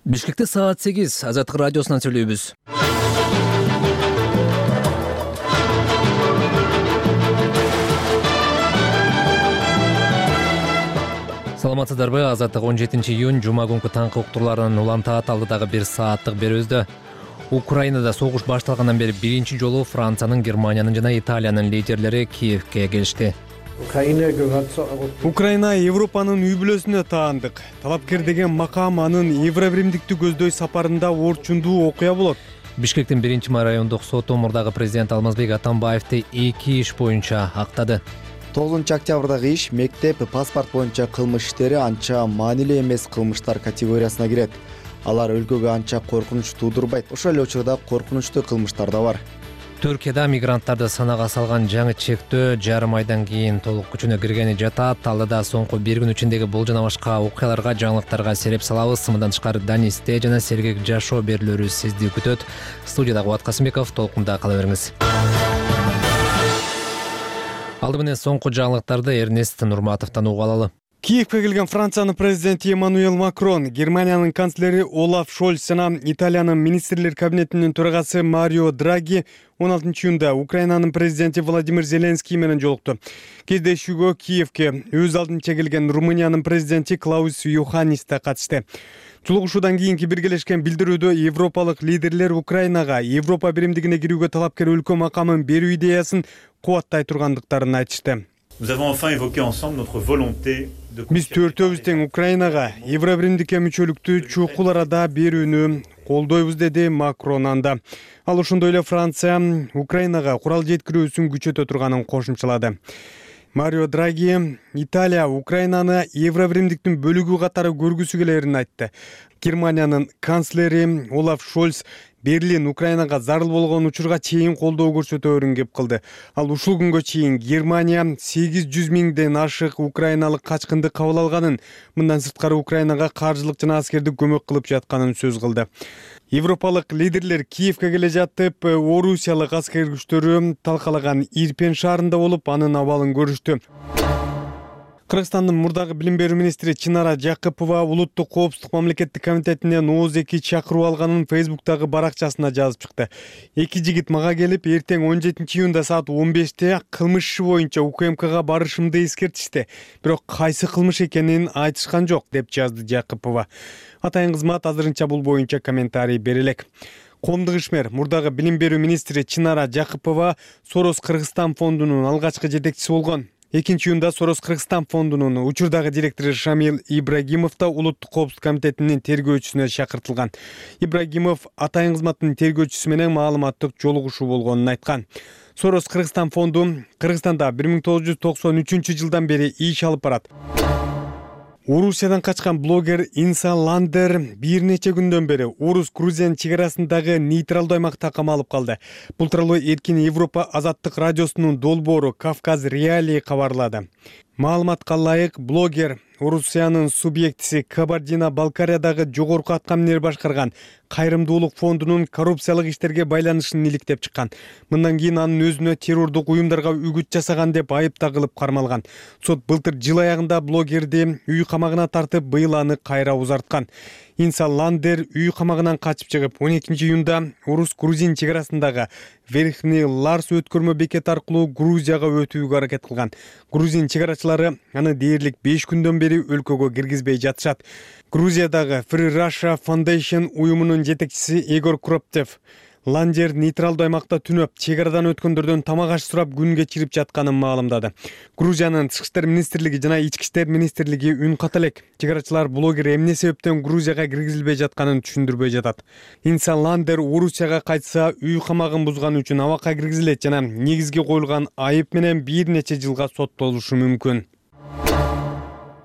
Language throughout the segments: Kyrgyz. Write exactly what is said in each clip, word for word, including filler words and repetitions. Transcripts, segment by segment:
Бишкекте саат сегиз Азаттык радиосунан сүйлөйбүз. Саламатсыздарбы? Азаттык он жетинчи июнь жума күнкү таңкы уктурларынын улам таат алдыдагы бир сааттык берүүбүздө Украинада согуш башталгандан бери биринчи жолу Франциянын, Германиянын жана Италиянын лидерлери Киевке келишти. Украина Европанын үй бүлөсүнө таандык. Талапкер деген макам анын Евробиримдикти көздөй сапарында орчундуу окуя болот. Бишкектин биринчи райондук соту мурдагы президент Алмазбек Атамбаевди эки иш боюнча актады. тогузунчу октябрдагы иш мектеп паспорт боюнча кылмыш иштери анча маанилүү эмес кылмыштар категориясына кирет. Алар өлкөгө анча коркунуч туудурбайт. Ошол эле учурда коркунучтуу кылмыштар да бар. Түркияда мигранттарды санага салган жаңы чектөө жарым айдан кийин толук күчүнө киргени жатат. Талдыда соңку бир күн ичиндеги бул жана башка окуяларга, жаңылыктарга сереп салабыз. Мындан тышкары Данисте жана сергек жашоо берүүлөрү сизди күтөт. Студияда Кубат Касымбеков, толкунда кала бериңиз. Алды менен соңку жаңылыктарды Эрнест Нурматовдон угуп алалы. Киевке келген Франциянын президенти Эммануэл Макрон, Германиянын канцлери Олаф Шольц жана Италиянын министрлер кабинетинин төрагасы Марио Драги он алтынчы июнда Украинанын президенти Владимир Зеленский менен жолукту. Кездешүүгө Киевке өз алдынча келген Румыниянын президенти Клаус Йоханнис да катышты. Жолугушуудан кийинки биргелешкен билдирүүдө европалык лидерлер Украинага Европа биримдигине кирүүгө талапкер өлкө макамын берүү идеясын кубаттай тургандыктарын айтышты. Биз төртөөбүз тең Украинага Евробиримдикке мүчөлүктү чукул арада берүүнү колдойбуз, деди Макрон анда. Ал ошондой эле Франция Украинага курал жеткирүүсүн күчөтө турганын кошумчалады. Марио Драги Италия Украинаны Евробиримдиктин бөлүгү катары көргүсү келерин айтты. Германиянын канцлери Олаф Шольц Берлин Украинага зарыл болгон учурга чейин колдоо көрсөтөөрүн кеп кылды. Ал ушул күнгө чейин Германия сегиз жүз миңден ашык украиналык качкынды кабыл алганын, мындан сырткары Украинага каржылык жана аскердик көмөк кылып жатканын сөз кылды. Европалык лидерлер Киевке келе жатып, Орусиялык аскер күчтөрү талкалаган Ирпен шаарында болуп, анын абалын көрүштү. Кыргызстандын мурдагы билим берүү министри Чынара Жакыпова улуттук коопсуздук мамлекеттик комитетинен ооз эки чакыруу алганын Фейсбуктагы баракчасына жазып чыкты. Эки жигит мага келип, эртең он жетинчи июнда саат он беште кылмыш иши боюнча УКМКга барышымды эскертишти. Бирок кайсы кылмыш экенин айтышкан жок, деп жазды Жакыпова. Атайын кызмат азырынча бул боюнча комментарий бере элек. Коомдук ишмер мурдагы билим берүү министри Чынара Жакыпова Сорос Кыргызстан фондунун алгачкы жетекчиси болгон. экинчи июнда Сорос Кыргызстан фондунун учурдагы директору Шамил Ибрагимов да улуттук коопсуздук комитетинин тергөөчүсүнө чакыртылган. Ибрагимов атайын кызматтын тергөөчүсү менен маалыматтык жолугушуу болгонун айткан. Сорос Кыргызстан фонду Кыргызстанда бир миң тогуз жүз токсон үчүнчү жылдан бери иш алып барат. Орусиядан качкан блогер Инсан Ландер бир нече күндөн бери Орус-Грузия чегарасындагы нейтралдуу аймакта камалып калды. Бул тууралуу Эркин Европа азаттык радиосунун долбоору Кавказ Реалии кабарлады. Маалыматка ылайык, блогер Орусиянын субъектиси Кабардино-Балкариядагы жогорку аткаминер башкарган кайрымдуулук фондунун коррупциялык иштерге байланышын иликтеп чыккан. Мындан кийин анын өзүнө террордук уюмдарга үгүт жасаган деп айып тагылып кармалган. Сот былтыр жыл аягында блогерди үй камагына тартып, быйыл аны кайра узарткан. Инсан Ландер үй камагынан качып чыгып, он экинчи июнда Орус-Грузин чегарасындагы Верхний Ларс өткөрмө бекет аркылуу Грузияга өтүүгө аракет кылган. Грузин чегарачылары аны дээрлик беш күндөн бери өлкөгө киргизбей жатышат. Грузиядагы Free Russia Foundation уюмунун жетекчиси Егор Кроптев Ландер нейтралдуу аймакта түнөп, чегарадан өткөндөрдөн тамак аш сурап күн кечирип жатканын маалымдады. Грузиянын Тышкы иштер министрлиги жана Ички иштер министрлиги үн ката элек. Чегарачылар блогер эмне себептен Грузияга киргизилбей жатканын түшүндүрбөй жатат. Инсан Ландер Орусияга кайтса, үй камагын бузганы үчүн абакка киргизилет жана негизги коюлган айып менен бир нече жылга соттолушу мүмкүн.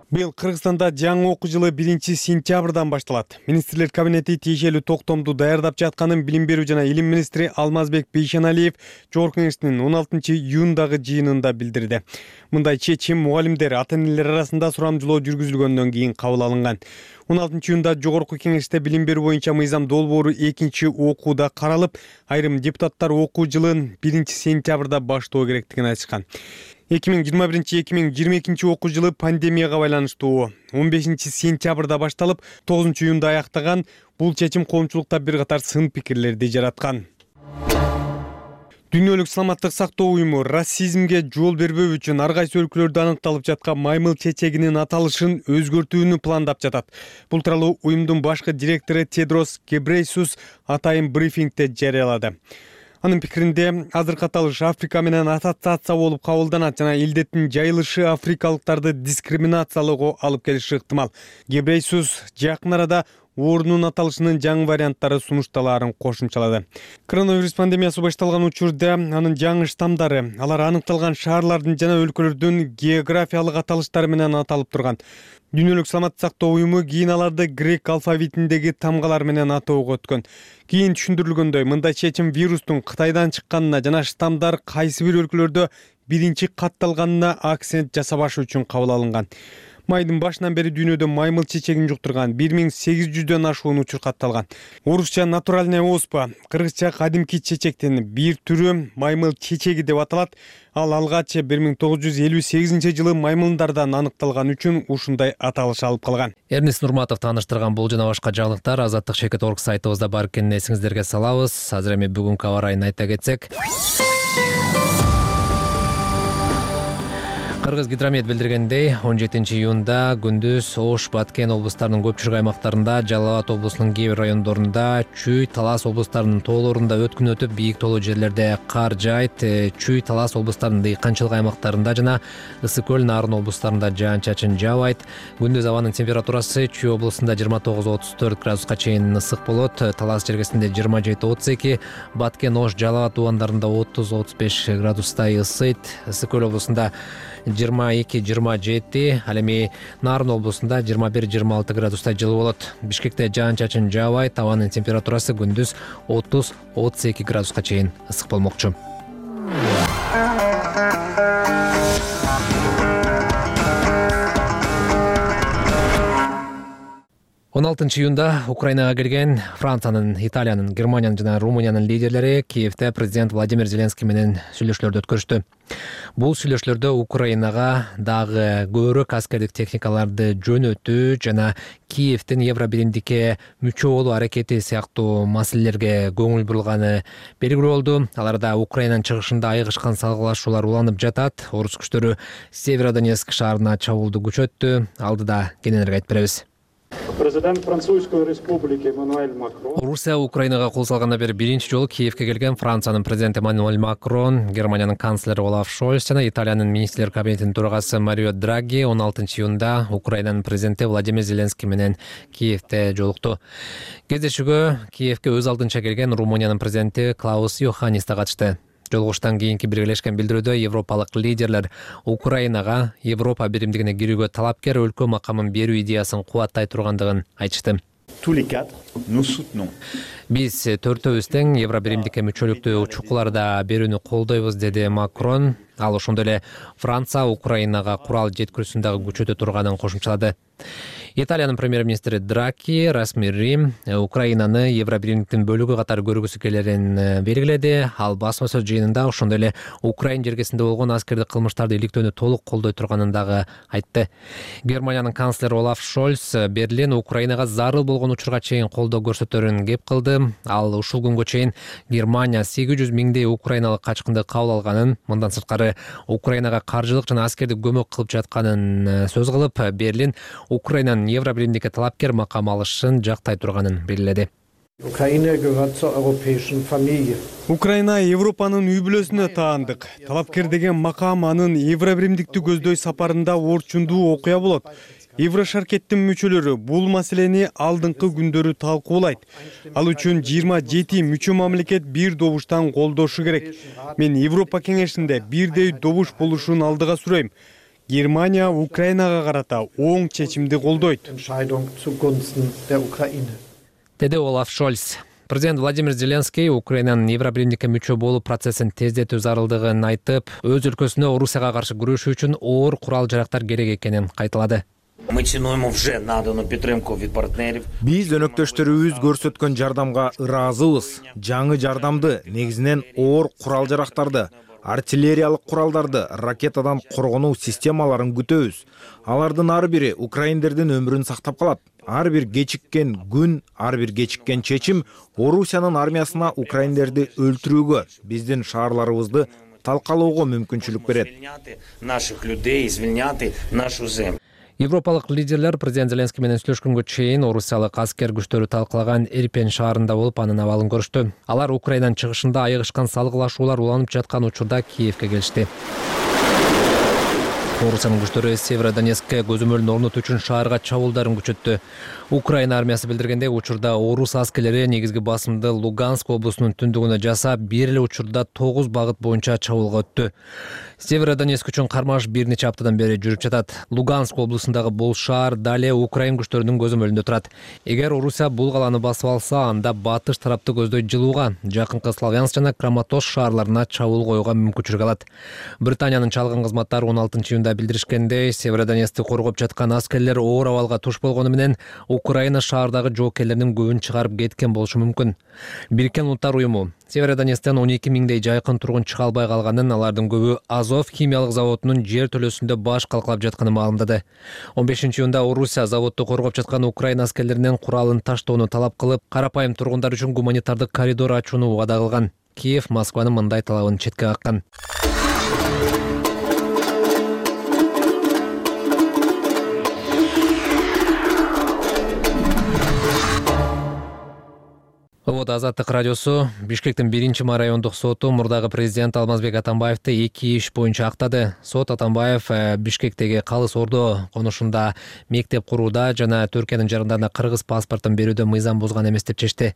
Быйыл Кыргызстанда жаңы окуу жылы биринчи сентябрдан башталат. Министрлер кабинети тиешелүү токтомду даярдап жатканын билим берүү жана илим министри Алмазбек Бейшеналиев Жогорку кеңештин он алтынчы июндагы жыйынында билдирди. Мындай чечим мугалимдер, ата-энелер арасында сурамжылоо жүргүзүлгөндөн кийин кабыл алынган. он алтынчы июнда Жогорку кеңеште билим берүү боюнча мыйзам долбоору экинчи окууда каралып, айрым депутаттар окуу жылын биринчи сентябрда баштоо керектигин айтышкан. эки миң жыйырма биринчи эки миң жыйырма экинчи окуу жылы пандемияга байланыштуу он бешинчи сентябрда башталып тогузунчу июнда аяктаган бул чечим коомчулукта бир катар сын пикирлерди жараткан. Дүйнөлүк саламаттык сактоо уюму расизмге жол бербөө үчүн ар кайсы өлкөлөрдө аныкталып жаткан маймыл чечегинин аталышын өзгөртүүнү пландап жатат. Бул тууралуу уюмдун башкы директору Тедрос Гебрейсус атайын брифингде жарыялады. Анын пикиринде азыркы аталыш Африка менен ассоциация болуп кабылданат жана илдеттин жайылышы африкалыктарды дискриминациялоого алып келиши ыктымал. Гебрейсус жакын арада оорунун аталышынын жаңы варианттары сунушталаарын кошумчалады. Коронавирус пандемиясы башталган учурда анын жаңы штамдары алар аныкталган шаарлардын жана өлкөлөрдүн географиялык аталыштары менен аталып турган. Дүйнөлүк саламаттык сактоо уюму кийин аларды грек алфавитиндеги тамгалар менен атоого өткөн. Кийин түшүндүрүлгөндөй, мындай чечим вирустун Кытайдан чыкканына жана штамдар кайсы бир өлкөлөрдө биринчи катталганына акцент жасабаш үчүн кабыл алынган. Майдын башынан бери дүйнөдө маймыл чечегин жуктурган бир миң сегиз жүздөн ашуун учур катталган. Орусча натуральная оспа, кыргызча кадимки чечектин бир түрү маймыл чечеги деп аталат. Ал алгач бир миң тогуз жүз элүү сегизинчи жылы маймылдардан аныкталган үчүн ушундай аталыш алып калган. Эрнис Нурматов тааныштырган бул жана башка жаңылыктар азаттык чекит орг сайтыбызда бар экенин эсиңиздерге салабыз. Азыр эми бүгүнкү аба ырайын айта кетсек. Кыргыз гидромет билдиргендей, он жетинчи июнда күндүз Ош, Баткен облустарынын көпчүлүк аймактарында, Жалал Абад облусунун кээ бир райондорунда, Чүй, Талас облустарынын тоолорунда өткүн өтүп, бийик тоолуу жерлерде кар жаайт. Чүй, Талас облустарынын дыйканчылык аймактарында жана Ысык көл, Нарын облустарында жаан-чачын жаабайт. Күндүз абанын температурасы Чүй облусунда жыйырма тогуз отуз төрт градуска чейин ысык болот. Талас жергесинде жыйырма жети отуз эки, Баткен, Ош, Жалал Абад тубандарында отуз отуз беш градустай ысыйт. Ысык көл облусунда жыйырма эки жыйырма жети, ал эми Нарын облусунда жыйырма бир жыйырма алты градустай жылы болот. Бишкекте жаан-чачын жаабайт, абанын температурасы күндүз отуз отуз эки градуска чейин ысык болмокчу. он алтынчы июнда Украинага келген Франциянын, Италиянын, Германиянын жана Румыниянын лидерлери Киевде президент Владимир Зеленский менен сүйлөшүүлөрдү өткөрүштү. Бул сүйлөшүүлөрдө Украинага дагы көбүрөөк аскердик техникаларды жөнөтүү жана Киевдин Евробиримдикке мүчө болуу аракети сыяктуу маселелерге көңүл бурулганы белгилүү болду. Аларда Украинанын чыгышында айыгышкан салгылашуулар уланып жатат. Орус күчтөрү Северодонецк шаарына чабуулду күчөттү. Алдыда кененирээк айтып беребиз. Президент Французской республики Эммануэль Макрон. Орусия Украинага кол салгандан бери биринчи жолу Киевге келген Франциянын президенти Эммануэль Макрон, Германиянын канцлери Олаф Шольц жана Италиянын министрлер кабинетинин төрагасы Марио Драги он алтынчы июнда Украинанын президенти Владимир Зеленский менен Киевде жолукту. Кездешүүгө Киевге өз алдынча келген Румыниянын президенти Клаус Йоханнис да катышты. Жолугуштан кийинки биргелешкен билдирүүдө европалык лидерлер Украинага Европа биримдигине кирүүгө талапкер өлкө макамын берүү идеясын кубаттай тургандыгын айтышты. Биз төртөөбүз тең Евробиримдикке мүчөлүктүү чукуларда берүүнү колдойбуз, деди Макрон. Ал ошондой эле Франция Украинага курал жеткирүүсүн дагы күчөтө турганын кошумчалады. Италиянын премьер-министри Драги расмий Украинаны Евробиримдиктин бөлүгү катары көргүсү келерин белгиледи. Ал басма сөз жыйынында ошондой эле Украин жергесинде болгон аскердик кылмыштарды иликтөөнү толук колдой турганын дагы айтты. Германиянын канцлери Олаф Шольц Берлин Украинага зарыл болгон учурга чейин колдоо көрсөтөрүн кеп кылды. Ал ушул күнгө чейин Германия сегиз жүз миңдей украиналык качкынды кабыл алганын, мындан сырткары Украинага каржылык жана аскердик көмөк кылып жатканын сөз кылып, Берлин Украинанын Евробиримдикке талапкер макам алышын жактай турганын белгиледи. Украина Европанын үй бүлөсүнө таандык. Талапкер деген макам анын Евробиримдикти көздөй сапарында орчундуу окуя болот. Еврошаркеттин мүчөлөрү бул маселени алдыңкы күндөрү талкуулайт. Ал үчүн жыйырма жети мүчө мамлекет бир добуштан колдошу керек. Мен Европа кеңешинде бирдей добуш болушун алдыга сүрөйм. Германия Украинага карата оң чечимди колдойт, деди Олаф Шольц. Президент Владимир Зеленский Украинанын Евробиримдикке мүчө болуу процессин тездетүү зарылдыгын айтып, өз өлкөсүнө Орусияга каршы күрөшүү үчүн оор курал жарактар керек экенин кайталады. Биз өнөктөштөрүбүз көрсөткөн жардамга ыраазыбыз. Жаңы жардамды, негизинен оор курал жарактарды, артиллериялык куралдарды, ракетадан коргонуу системаларын күтөбүз. Алардын ар бири украиндердин өмүрүн сактап калат. Ар бир кечиккен күн, ар бир кечиккен чечим Орусиянын армиясына украиндерди өлтүрүүгө, биздин шаарларыбызды талкалоого мүмкүнчүлүк берет. Наших людей звільняти нашу землю. Европалык лидерлер президент Зеленский менен сүйлөшкөнгө чейин орусиялык аскер күчтөрү талкалаган Ирпен шаарында болуп, анын абалын көрүштү. Алар Украинанын чыгышында айыгышкан салгылашуулар уланып жаткан учурда Киевке келишти. Орусиянын күчтөрү Северодонецкке көзөмөлүн орнотуу үчүн шаарга чабуулдарын күчөттү. Украина армиясы билдиргендей, учурда орус аскерлери негизги басымды Луганск облусунун түндүгүнө жасап, бир эле учурда тогуз багыт боюнча чабуулга өттү. Северодонецк үчүн кармаш бир нече аптадан бери жүрүп жатат. Луганск облусундагы бул шаар дале Украин күчтөрүнүн көзөмөлүндө турат. Эгер Орусия бул каланы басып алса, анда батыш тарапты көздөй жылууга, жакынкы Славянск жана Краматорск шаарларына чабуул коюуга мүмкүнчүлүк алат. Британиянын чалгын кызматтары он алтынчы июнда билдиришкендей, Северодонецкти коргоп жаткан аскерлер оор абалга туш болгону менен Украина шаардагы жоокерлеринин көбүн чыгарып кеткен болушу мүмкүн. Бириккен Улуттар уюму Северодонецктен он эки миңдей жайкын тургун чыга албай калганын, алардын көбү Азов химиялык заводунун жер төлөөсүндө баш калкалап жатканын маалымдады. он бешинчи июнда Орусия заводду коргоп жаткан Украина аскерлеринен куралын таштоону талап кылып, карапайым тургундар үчүн гуманитардык коридор ачууну убада кылган. Киев Москванын мындай талабын четке каккан. Вот Азаттык радиосу Бишкектин биринчи ма райондук соту мурдагы президент Алмазбек Атамбаевди эки иш боюнча актады. Сот Атамбаев Бишкектеги Калыс Ордо конушунда мектеп курууда жана Түркиянын жарандарына кыргыз паспортун берүүдө мыйзам бузган эмес деп чечти.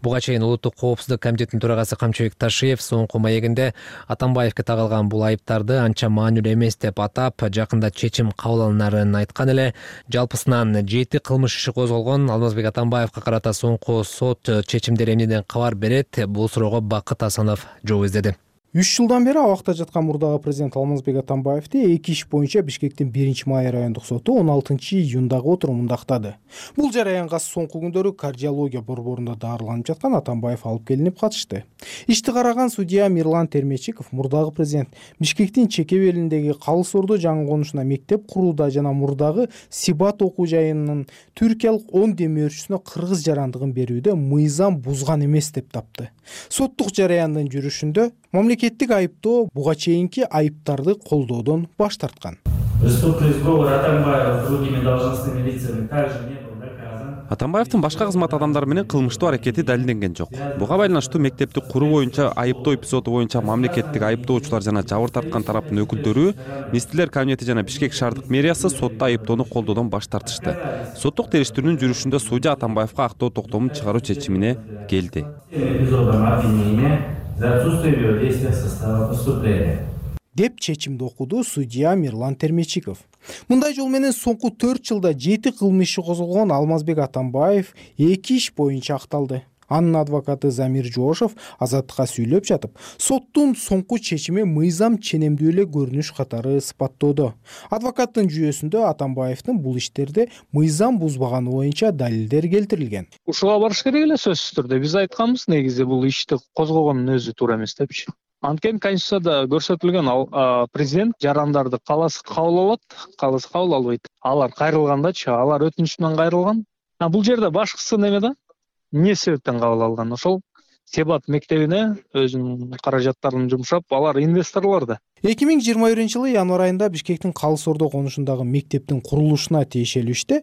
Буга чейин Улуттук коопсуздук комитетинин төрагасы Камчыбек Ташиев соңку маегинде Атамбаевге тагылган бул айыптарды анча маанилүү эмес деп атап, жакында чечим кабыл алынарын айткан эле. Жалпысынан жети кылмыш иши козголгон. Алмазбек Атамбаевга карата соңку сот чечим эмнеден кабар берет? Бул суроого Бакыт Асанов жооп издеди. үч жылдан бери абакта жаткан мурдагы президент Алмазбек Атамбаевди эки иш боюнча Бишкектин биринчи май райондук соту он алтынчы июндагы отурумунда актады. Бул жараянга соңку күндөрү кардиология борборунда дарыланып жаткан Атамбаев алып келинип катышты. Ишти караган судья Мирлан Термечиков мурдагы президент Бишкектин чеке белиндеги Калыс Ордо жаңы конушуна мектеп курууда жана мурдагы Сибат окуу жайынын түркиялык он демөөрчүсүнө кыргыз жарандыгын берүүдө мыйзам бузган эмес деп тапты. Соттук жараяндын жүрүшүндө мамлекеттик айыптоо буга чейинки айыптарды колдоодон баш тарткан. Атамбаевдин башка кызмат адамдары менен кылмыштуу аракети далилденген жок. Буга байланыштуу мектепти куруу боюнча айыптоо эпизоду боюнча мамлекеттик айыптоочулар жана жабыр тарткан тараптын өкүлдөрү, Министрлер кабинети жана Бишкек шаардык мэриясы сотто айыптоону колдоодон баш тартышты. Соттук териштирүүнүн жүрүшүндө судья Атамбаевга актоо токтомун чыгаруу чечимине келди. Деп чечимди окуду судья Мирлан Термечиков. Мындай жол менен соңку төрт жылда жети кылмыш иши козголгон Алмазбек Атамбаев эки иш боюнча акталды. Анын адвокаты Замир Жошов Азаттыкка сүйлөп жатып, соттун соңку чечими мыйзам ченемдүү эле көрүнүш катары сыпаттоодо. Адвокаттын жүйөсүндө Атамбаевдин бул иштерде мыйзам бузбаганы боюнча далилдер келтирилген. Ушуга барыш керек эле сөзсүз түрдө. Биз айтканбыз, негизи бул ишти козгогондун өзү туура эмес депчи. Анткени Конституцияда көрсөтүлгөн президент жарандарды кааласа кабыл алат, кааласа кабыл албайт. Алар кайрылгандачы, алар өтүнүч менен кайрылган. Бул жерде башкысы неме да? Эмне себептен кабыл алган? Ошол Себат мектебине өзүнүн каражаттарын жумшап, алар инвесторлор да. эки миң жыйырма биринчи жылы январь айында Бишкектин Калыс Ордо конушундагы мектептин курулушуна тиешелүү иште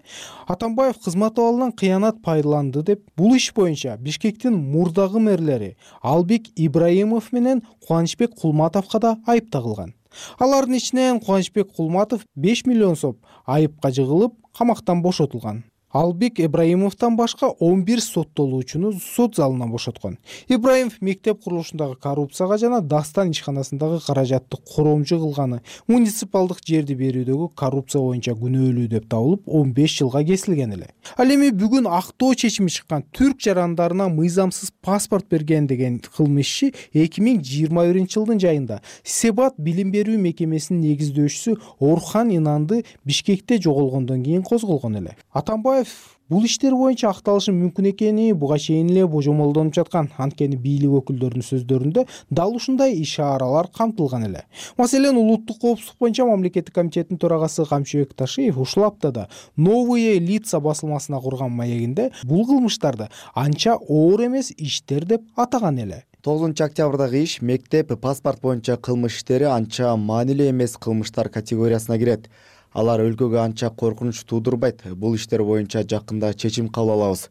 Атамбаев кызмат абалынан кыянат пайдаланды деп бул иш боюнча Бишкектин мурдагы мэрлери Албек Ибраимов менен Кубанычбек Кулматовго да айып тагылган. Алардын ичинен Кубанычбек Кулматов беш миллион сом айыпка жыгылып, камактан бошотулган. Албек Ибраимовдон башка он бир соттолуучуну сот залынан бошоткон. Ибраимов мектеп курулушундагы коррупцияга жана Дастан ишканасындагы каражатты коромжу кылганы, муниципалдык жерди берүүдөгү коррупция боюнча күнөөлүү деп табылып, он беш жылга кесилген эле. Ал эми бүгүн актоо чечими чыккан түрк жарандарына мыйзамсыз паспорт берген деген кылмыш иши эки миң жыйырма биринчи жылдын жайында Себат билим берүү мекемесинин негиздөөчүсү Орхан Инанды Бишкекте жоголгондон кийин козголгон эле. Атамбаев бул иштер боюнча акталышы мүмкүн экени буга чейин эле божомолдонуп жаткан. Анткени бийлик өкүлдөрүнүн сөздөрүндө дал ушундай иш-чаралар камтылган эле. Маселен, улуттук коопсуздук боюнча мамлекеттик комитеттин төрагасы Камчыбек Ташиев ушул аптада «Новые лица» басылмасына курган маегинде бул кылмыштарды анча оор эмес иштер деп атаган эле. тогузунчу октябрдагы иш мектеп паспорт боюнча кылмыш иштери анча маанилүү эмес кылмыштар категориясына кирет. Алар өлкөгө анча коркунуч туудурбайт. Бул иштер боюнча жакында чечим кабыл алабыз.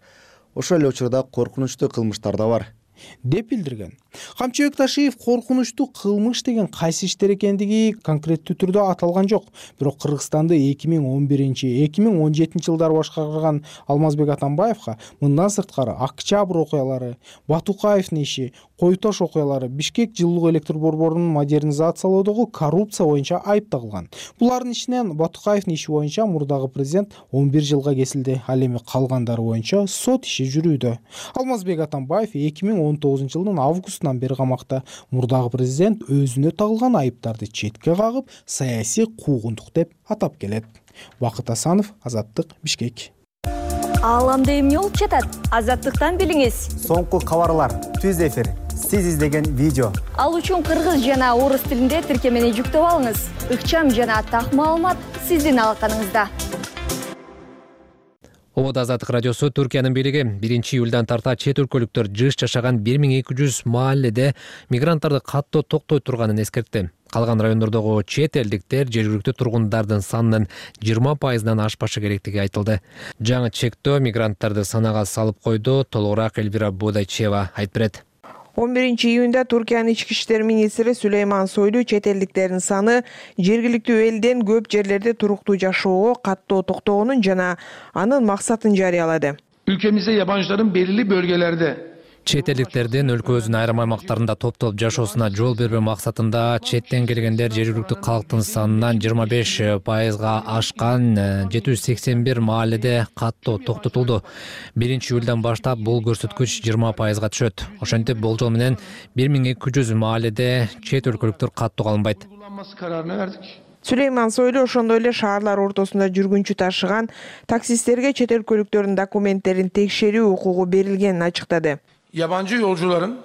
Ошол эле учурда коркунучтуу кылмыштар да бар деп билдирген. Камчыбек Ташиев коркунучтуу кылмыш деген кайсы иштер экендиги конкреттүү түрдө аталган жок. Бирок Кыргызстанды эки миң он биринчи эки миң он жетинчи жылдары башкарган Алмазбек Атамбаевга мындан сырткары Октябрь окуялары, Батукаевдин иши, Кой Тош окуялары, Бишкек жылуулук электр борборунун модернизациялоодогу коррупция боюнча айып тагылган. Булардын ичинен Батукаевдин иши боюнча мурдагы президент он бир жылга кесилди. Ал эми калгандары боюнча сот иши жүрүүдө. Алмазбек Атамбаев эки миң он тогузунчу жылдын августунан бери камакта. Мурдагы президент өзүнө тагылган айыптарды четке кагып, саясий куугунтук деп атап келет. Бакыт Асанов, Азаттык, Бишкек. Ааламда эмне болуп жатат? Азаттыктан билиңиз. Соңку кабарлар, түз эфир, сиз издеген видео. Ал үчүн кыргыз жана орус тилинде тиркемени жүктөп алыңыз. Ыкчам жана так маалымат сиздин алаканыңызда. Обод Азаттык радиосу Түркиянын бийлиги биринчи июлдан тарта чет өлкөлүктөр жыш жашаган бир миң эки жүз маалледе мигранттарды каттоо токтой турганын эскертти. Калган райондордогу чет элдиктер жергиликтүү тургундардын санынын жыйырма пайызынан ашпашы керектиги айтылды. Жаңы чектөө мигранттарды санага салып койду. Толугураак Эльвира Бодайчева айтып берет. он биринчи июнда Туркиянын ички иштер министри Сулейман Сойлу чет элдиктердин саны жергиликтүү элден көп жерлерде туруктуу жашоого каттоо токтогонун жана анын максатын жарыялады. Ülkemizde yabancıların belirli bölgelerde Чет элдиктердин өлкөбүздүн айрым аймактарында топтолуп жашоосуна жол бербөө максатында четтен келгендер жергиликтүү калктын санынан жыйырма беш пайызга ашкан жети жүз сексен бир маалледе каттоо токтотулду. биринчи июлдан баштап бул көрсөткүч жыйырма пайызга түшөт. Ошентип болжол менен бир миң эки жүз маалледе чет өлкөлүктөр каттоого алынбайт. Сулейман Сойлу ошондой эле шаарлар ортосунда жүргүнчү ташыган таксисттерге чет өлкөлүктөрдүн документтерин текшерүү укугу берилгенин ачыктады. Yabancı yolcuların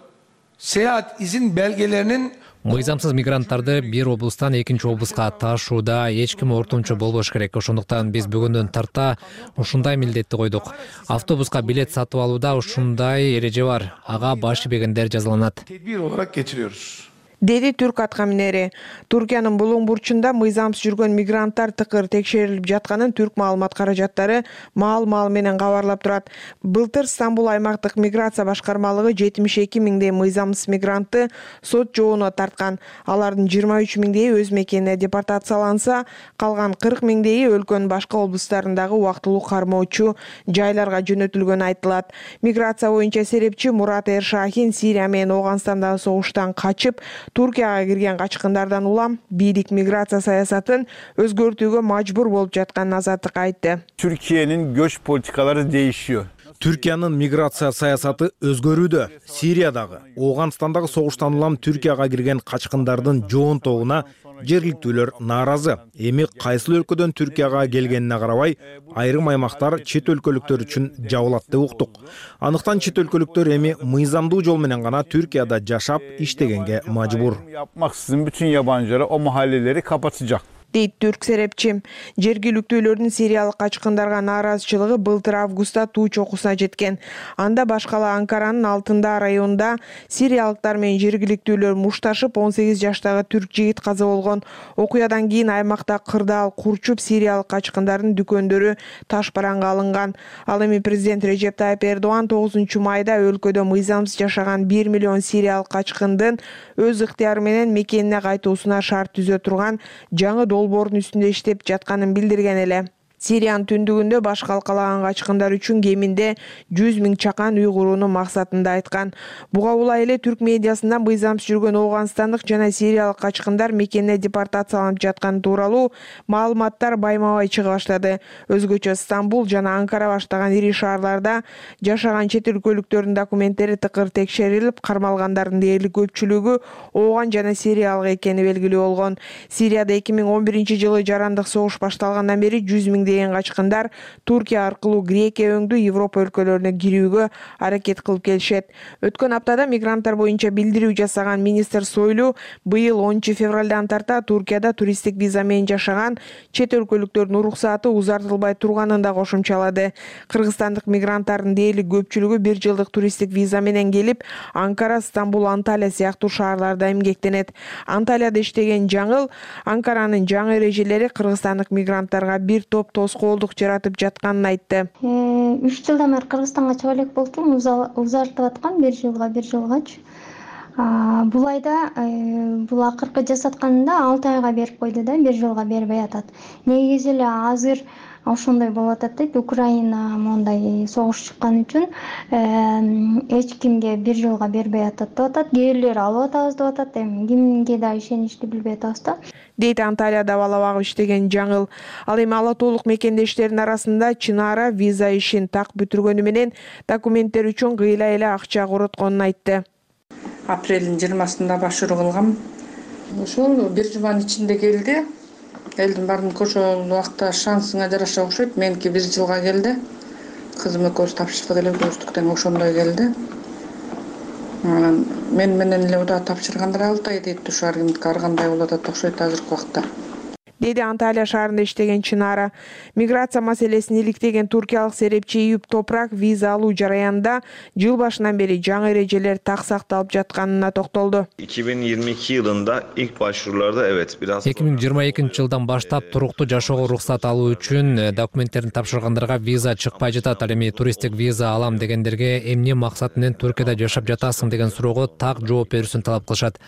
seyahat izin belgelerinin Мыйзамсыз мигранттарды бир облустан экинчи облуска ташууда эч ким ортомчу болбош керек. Ошондуктан биз бүгүндөн тарта ушундай милдетти койдук. Автобуска билет сатып алууда ушундай эреже бар. Ага баш ийбегендер жазаланат. Tedbir olarak getiriyoruz. Деди түрк атка минери. Туркиянын булуң бурчунда мыйзамсыз жүргөн мигранттар тыкыр текшерилип жатканын түрк маалымат каражаттары маал-маал менен кабарлап турат. Былтыр Стамбул аймактык миграция башкармалыгы жетимиш эки миңдей мыйзамсыз мигрантты сот жообуна тарткан. Алардын жыйырма үч миңдейи өз мекенине депортацияланса, калган кырк миңдейи өлкөнүн башка облустарындагы убактылуу кармоочу жайларга жөнөтүлгөнү айтылат. Миграция боюнча серепчи Мурат Эршахин Сирия менен Ооганстандагы согуштан качып Туркияга кирген качкындардан улам бийлик миграция саясатын өзгөртүүгө мажбур болуп жатканын Азаттыкка айтты. Türkiye'nin göç politikaları değişiyor. Түркиянын миграция саясаты өзгөрүүдө. Сириядагы, Ооганстандагы согуштан улам Түркияга кирген качкындардын жоонтогуна жергиликтүүлөр нааразы. Эми кайсыл өлкөдөн Түркияга келгенине карабай, айрым аймактар чет өлкөлүктөр үчүн жабылат деп уктук. Анықтан чет өлкөлүктөр эми мыйзамдуу жол менен гана Түркияда жашап, иштегенге мажбур. Yapmaksızın bütün yabancıları o mahalleleri kapatacak. дейт түрк серепчи. Жергиликтүүлөрдүн сириялык качкындарга нааразычылыгы былтыр августта туу чокусуна жеткен. Анда башкала Анкаранын Алтында районунда сириялыктар менен жергиликтүүлөр мушташып он сегиз жаштагы түрк жигит каза болгон. Окуядан кийин аймакта кырдаал курчуп сириялык качкындардын дүкөндөрү таш бараңга алынган. Ал эми президент Режеп Тайып Эрдоган тогузунчу майда өлкөдө мыйзамсыз жашаган бир миллион сириялык качкындын өз ыктыяры менен мекенине кайтуусуна шарт түзө турган жаңы долбоордун үстүндө иштеп жатканын билдирген эле. Сириянын түндүгүндө баш калкалаган качкындар үчүн кеминде жүз миң чакан үй курууну максатында айткан. Буга улай эле түрк медиасында мыйзамсыз жүргөн Ооганстандык жана сириялык качкындар мекенине депортацияланып жатканы тууралуу маалыматтар байма-бай чыга баштады. Өзгөчө Стамбул жана Анкара баштаган ири шаарларда жашаган чет өлкөлүктөрдүн документтери тыкыр текшерилип, кармалгандардын дээрлик көпчүлүгү Ооган жана сириялык экени белгилүү болгон. Сирияда эки миң он биринчи жылы жарандык согуш башталгандан бери жүз миңдей миңдеген качкындар Туркия аркылуу Грекия өңдүү Европа өлкөлөрүнө кирүүгө аракет кылып келишет. Өткөн аптада мигранттар боюнча билдирүү жасаган министр Сойлу быйыл онунчу февралдан тарта Туркияда туристтик виза менен жашаган чет өлкөлүктөрдүн уруксааты узартылбай турганын да кошумчалады. Кыргызстандык мигранттардын дээрлик көпчүлүгү бир жылдык туристтик виза менен келип, Анкара, Стамбул, Анталия сыяктуу шаарларда эмгектенет. Анталияда иштеген Жаңыл Анкаранын жаңы эрежелери кыргызстандык мигранттарга бир топ тоскоолдук жаратып жатканын айтты. үч жылдан бери Кыргызстанга чыга элек болчумун, узартып аткан бир жылга, бир жылгачы. Бул айда бул акыркы жасатканында алты айга берип койду да, бир жылга бербей атат. Негизи эле азыр ошондой болуп атат дейт. Украина мондай согуш чыккан үчүн эч кимге бир жылга бербей атат деп атат. Кээ алып атабыз деп атат. Эми кимге да ишеничти билбей атабыз да. Дейт Анталияда бала багып иштеген Жаңыл. Ал эми ала толук мекендештердин арасында Чынара виза ишин так бүтүргөнү менен документтер үчүн кыйла эле акча коротконун айтты. Апрелдин жыйырмасында башыруу кылгам. Ошол бир жуманын ичинде келди. Элдин баарын ошол убакта шансыңа жараша окшойт. Меники бир жылга келди. Кызым экөөбүз тапшырдык эле, көрүштүк тең ошондой келди. Мен менен эле удаа тапшыргандар алты ай дейт. Ушар кимдики ар кандай болуп атат окшойт азыркы убакта. Деди Анталия шаарында иштеген Чынара. Миграция маселесин иликтеген туркиялык серепчи Ийюп Топрак виза алуу жараянында жыл башынан бери жаңы эрежелер так сакталып жатканына токтолду. эки миң жыйырма эки yılında ilk başvurularda evet biraz эки миң жыйырма экинчи жылдан баштап туруктуу жашоого уруксат алуу үчүн документтерин тапшыргандарга виза чыкпай жатат. Ал эми туристтик виза алам дегендерге эмне максат менен Түркияда жашап жатасың деген суроого так жооп берүүсүн талап кылышат.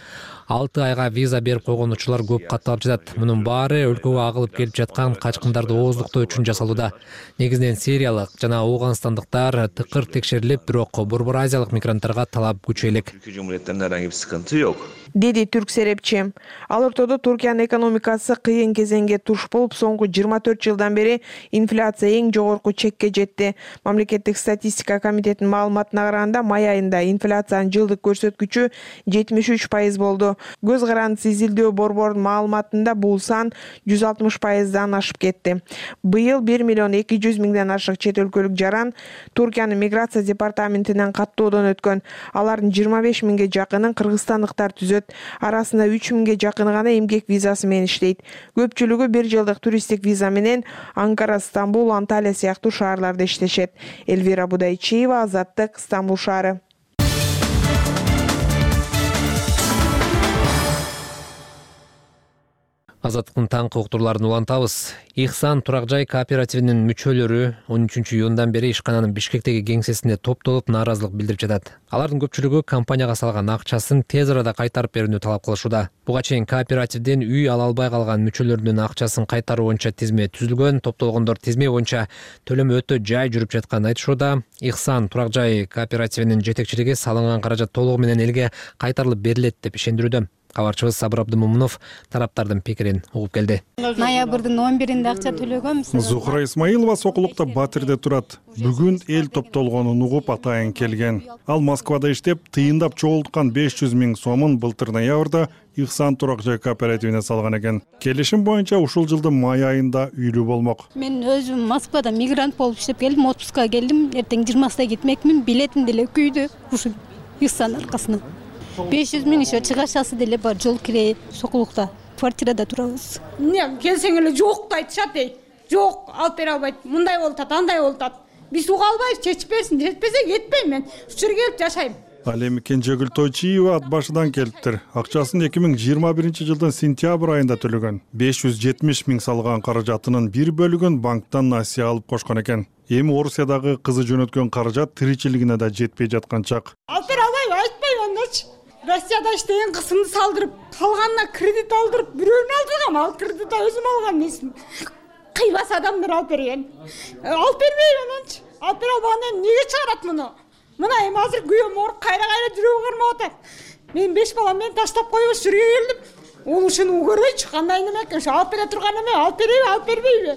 алты айга виза берип койгон учурлар көп катталып жатат. Мунун баары өлкөгө агылып келип жаткан качкындарды ооздуктоо үчүн жасалууда. Негизинен сириялык жана аугандстандыктар тыкыр текшерилип, бирок Борбор Азиялык мигранттарга талап күчөйлүк. Türkiye Cumhuriyeti'nden herhangi bir sıkıntı yok. Деди түрк серепчи. Ал ортодо Туркиянын экономикасы кыйын кезеңге туш болуп, соңку жыйырма төрт жылдан бери инфляция эң жогорку чекке жетти. Мамлекеттик статистика комитетинин маалыматына караганда, май айында инфляциянын жылдык көрсөткүчү жетимиш үч пайыз болду. Көз карандысы изилдөө борборунун маалыматында бул сан жүз алтымыш пайыздан ашып кетти. Быйыл бир миллион эки жүз миңден ашык чет өлкөлүк жаран Туркиянын миграция департаментинен каттоодон өткөн. Алардын жыйырма беш миңге жакынын кыргызстандыктар түзөт. Арасында үч миңге жакыны гана эмгек визасы менен иштейт. Көпчүлүгү бир жылдык туристтик виза менен Анкара, Стамбул, Анталия сыяктуу шаарларда иштешет. Эльвира Будайчиева, Азаттык, Стамбул шаары. Азаттыктын таңкы уктурларын улантабыз. Ихсан турак жай кооперативинин мүчөлөрү он үчүнчү июндан бери ишкананын Бишкектеги кеңсесинде топтолуп нааразылык билдирип жатат. Алардын көпчүлүгү компанияга салган акчасын тез арада кайтарып берүүнү талап кылышууда. Буга чейин кооперативден үй ала албай калган мүчөлөрүнүн акчасын кайтаруу боюнча тизме түзүлгөн, топтолгондор тизме боюнча төлөм өтө жай жүрүп жатканын айтышууда. Ихсан турак жай кооперативинин жетекчилиги салынган каражат толугу менен элге кайтарылып берилет деп ишендирүүдө. Кабарчыбыз Сабыр Абдымомунов тараптардын пикирин угуп келди. Ноябрдын он биринде акча төлөгөм. Зухра Исмаилова Сокулукта Батирде турат. Бүгүн эл топтолгонун угуп атайын келген. Ал Москвада иштеп, тыйындап чогулткан беш жүз миң сомун былтыр ноябрда Ихсан турак жай кооперативине салган экен. Келишим боюнча ушул жылдын май айында үйлүү болмок. Мен өзүм Москвада мигрант болуп иштеп келдим, отпускка келдим. Эртең жыйырмасында кетмекмин, билетим деле күйдү ушул Ихсан аркасынан. беш жүз миң ишо чыгашасы деле бар, жол кире, Сокулукта квартирада турабыз. Эмне келсең эле жокту айтышат эй. Жок, алып бере албайт. Мындай болуп атат, андай болуп атат. Биз уга албайбыз, чечип берсин, жетпесе кетпейм мен. Ушул жерге келип жашайм. Ал эми Кенжегүл Тойчиева ат башыдан келиптир. Акчасын эки миң жыйырма биринчи жылдын сентябрь айында төлөгөн. беш жүз жетимиш миң салган каражатынын бир бөлүгүн банктан насыя алып кошкон экен. Эми Орусиядагы кызы жөнөткөн каражат тиричилигине да жетпей жаткан чак. Алып бере албайм, айтпайм андачы. Россияда иштеген кысымды салдырып, калганына кредит алдырып, бирөөнү алдыргам, ал кредитти өзүм алган эмесмин. Кыйбас адамдар алып берген. Алып бербейм ананчы. Алып бере албаганда эмнеге чыгарат муну? Мына эми азыр күйөөм ооруп, кайра-кайра жүрөгү кармап атат. Мен беш балам менен таштап коюп ушул жерге келдим. Ол ушуну көрөйчү, кандай неме экен, алып бере турган эме, алып берейби, алып бербейби?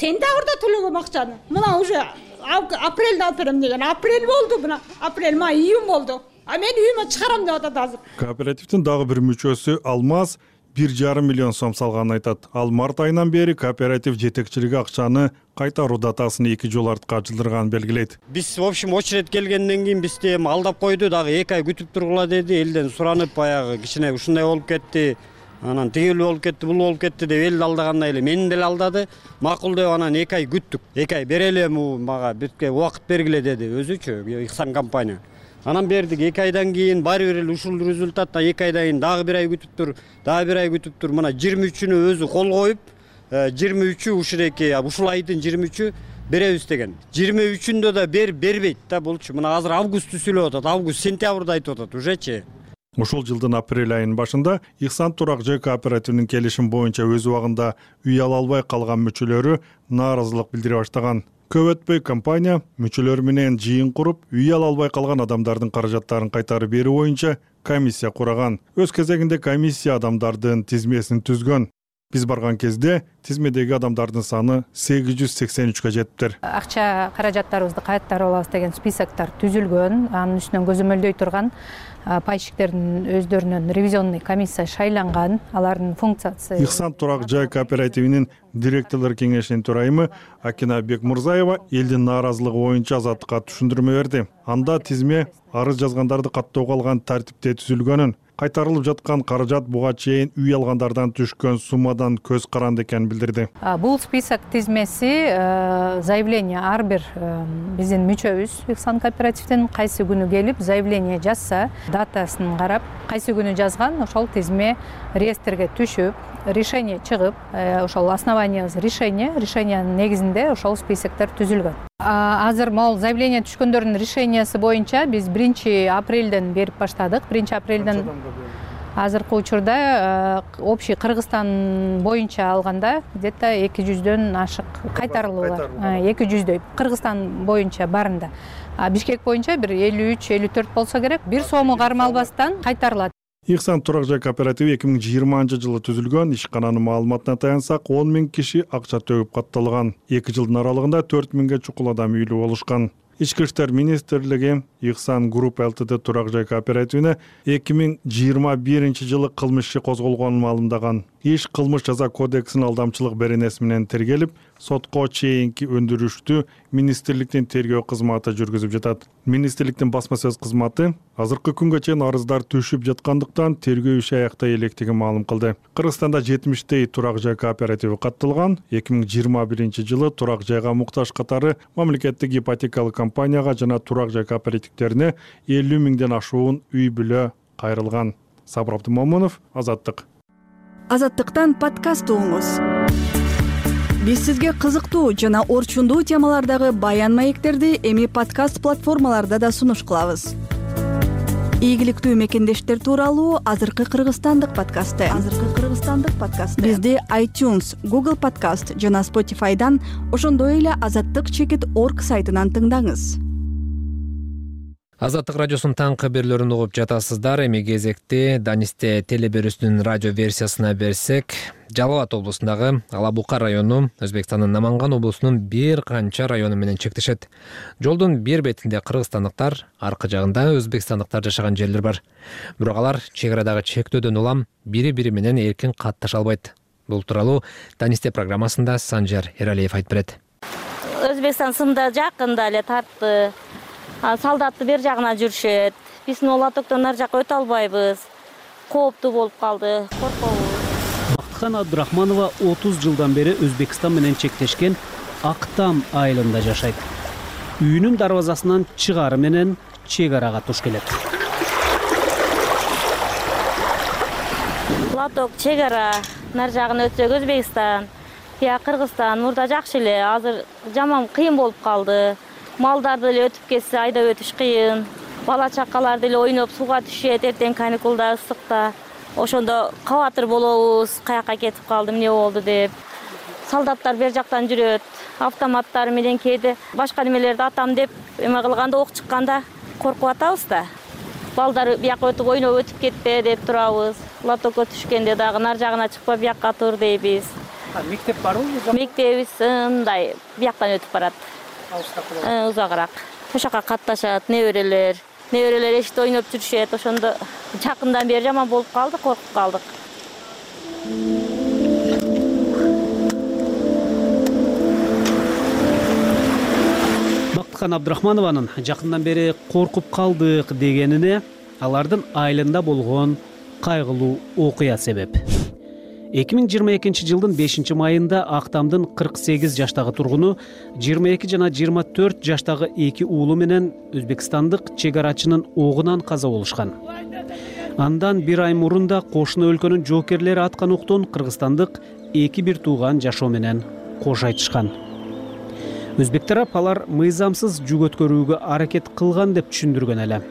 Сентябрда төлөгөм акчаны. Мына уже апрелде алып берем деген. Апрель болду, мына апрель, май, июнь болду. А мен үйүмө чыгарам деп атат азыр. Кооперативдин дагы бир мүчөсү Алмаз бир жарым миллион сом салганын айтат. Ал март айынан бери кооператив жетекчилиги акчаны кайтаруу датасын эки жолу артка жылдырганын белгилейт. Биз в общем очередь келгенден кийин бизди эми алдап койду, дагы эки ай күтүп тургула деди. Элден суранып баягы кичине ушундай болуп кетти. Анан тигил болуп кетти, бул болуп кетти деп элди алдагандай эле мени деле алдады. Макул деп анан эки ай күттүк. эки ай береле мага бизге убакыт бергиле деди өзүчү Ихсан компания. Анан бердик. эки айдан кийин баары бир эле ушул результатта эки айдан кийин дагы бир ай күтүп тур, дагы бир ай күтүп тур. Мына жыйырма үчүнү өзү кол коюп, жыйырма үчү ушуреки ушул айдын жыйырма үчү беребиз деген. жыйырма үчүндө да бер бербейт да булчу. Мына азыр августты сүйлөп атат. Август, сентябрда айтып атат ужечи. Ушул жылдын апрель айынын башында Ихсан турак жай кооперативинин келишим боюнча өз убагында үй ала албай калган мүчөлөрү нааразылык билдире баштаган. Көп өтпөй компания мүчөлөр менен жыйын куруп, үй ала албай калган адамдардын каражаттарын кайтарып берүү боюнча комиссия кураган. Өз кезегинде комиссия адамдардын тизмесин түзгөн. Биз барган кезде тизмедеги адамдардын саны сегиз жүз сексен үчкө жетиптир. Акча каражаттарыбызды кайтарып алабыз деген списоктор түзүлгөн. Анын үстүнөн көзөмөлдөй турган пайщиктердин өздөрүнүн ревизионный комиссия шайланган. Алардын функциясы Ихсан турак жай кооперативинин директорлор кеңешинин төрайымы Акина Бекмурзаева элдин нааразылыгы боюнча Азаттыкка түшүндүрмө берди. Анда тизме арыз жазгандарды каттоого алган тартипте түзүлгөнүн, кайтарылып жаткан каражат буга чейин үй алгандардан түшкөн суммадан көз каранды экенин билдирди. Бул список тизмеси заявление ар бир биздин мүчөбүз Ихсан кооперативдин кайсы күнү келип заявление жазса, датасын карап, кайсы күнү жазган, ошол тизме реестрге түшүп, решение чыгып, ошол основаниябыз решение, решениянын негизинде ошол списоктор түзүлгөн. Азыр могул заявление түшкөндөрдүн решениясы боюнча биз биринчи апрелден берип баштадык. биринчи апрелден азыркы учурда общий Кыргызстан боюнча алганда где-то эки жүздөн ашык кайтарылуу бар. эки жүздөй Кыргызстан боюнча барында. Бишкек боюнча бир элүү үч элүү төрт болсо керек. Бир сому кармалбастан кайтарылат. Ихсан турак жай кооперативи эки миң жыйырманчы жылы түзүлгөн. Ишкананын маалыматына таянсак, он миң киши акча төгүп катталган. эки жылдын аралыгында төрт миңге чукул адам үйлүү болушкан. Ички иштер министрлиги Ихсан Групп Лтд турак жай кооперативине эки миң жыйырма биринчи жылы кылмыш иши козголгонун маалымдаган. Иш кылмыш жаза кодексинин алдамчылык беренеси менен тергелип, сотко чейинки өндүрүштү министрликтин тергөө кызматы жүргүзүп жатат. Министрликтин басма сөз кызматы азыркы күнгө чейин арыздар түшүп жаткандыктан тергөө иши аяктай электигин маалым кылды. Кыргызстанда жетимиштей турак жай кооперативи катталган. эки миң жыйырма биринчи жылы турак жайга муктаж катары мамлекеттик ипотекалык компанияга жана турак жай кооперативдерине элүү миңден ашуун үй бүлө кайрылган. Сабыр Абдымомунов, Азаттык. Азаттыктан подкаст угуңуз. Биз сизге кызыктуу жана орчундуу темалардагы баян маектерди эми подкаст платформаларда да сунуш кылабыз. Ийгиликтүү мекендештер тууралуу азыркы кыргызстандык подкасты. Азыркы кыргызстандык подкасты. Бизди iTunes, Google Podcast жана Spotify'дан, ошондой эле азаттык чекит орг сайтынан тыңдаңыз. Азаттык радиосунун таң кабарларын угуп жатасыздар. Эми кезекте Данисте телеберүүсүнүн радио версиясына берсек, Жалал Абад облусундагы Ала Бука району Өзбекстандын Наманган облусунун бир канча району менен чектешет. Жолдун бир бетинде кыргызстандыктар, аркы жагында өзбекстандыктар жашаган жерлер бар. Бирок алар чек арадагы чектөөдөн улам бири-бири менен эркин катташа албайт. Бул тууралуу Данисте программасында Санжар Эралиев айтып берет. Өзбекстан сымда жакында эле тартты. Солдатты бер жагына жүрүшөт. Биздин Олатоктон ар жакка өтө албайбыз. Кооптуу болуп калды, коркобуз. Бактыхан Абдрахманова отуз жылдан бери Өзбекстан менен чектешкен Актам айылында жашайт. Үйүнүн дарбазасынан чыгары менен чек арага туш келет. Латок чек ара, нар жагына өтсөк Өзбекстан, я Кыргызстан мурда жакшы эле, азыр жаман кыйын болуп калды. Малдарды эле өтүп кетсе айдап өтүш кыйын. Бала чакаларды эле ойноп сууга түшөт, эртең каникулда, ысыкта. Ошондо кабатыр болобуз, каяка кетип калды, эмне болду деп. Солдаттар бер жактан жүрөт, автоматтары менен кээде башка немелерди атам деп эме кылганда, ок чыкканда коркуп атабыз да. Балдар бияка өтүп ойноп өтүп кетпе деп турабыз. Латокко түшкөндө дагы нар жагына чыкпа, бияка тур дейбиз. Мектеп барбы? Мектебибиз мындай бияктан өтүп барат. Узагыраак. Ошока катташат неберелер. Неберелер эшикте ойноп жүрүшөт. Ошондо жакындан бери жаман болуп калды, коркуп калдык. Бактыкан Абдрахманованын жакындан бери коркуп калдык дегенине алардын айылында болгон кайгылуу окуя себеп. эки миң жыйырма экинчи жылдын бешинчи майында Актамдын кырк сегиз жаштагы тургуну жыйырма эки жана жыйырма төрт жаштагы эки уулу менен өзбекстандык чек арачынын огунан каза болушкан. Андан бир ай мурун да кошуна өлкөнүн жоокерлери аткан октон кыргызстандык эки бир тууган жашоо менен кош айтышкан. Өзбек тарап алар мыйзамсыз жүк өткөрүүгө аракет кылган деп түшүндүргөн эле.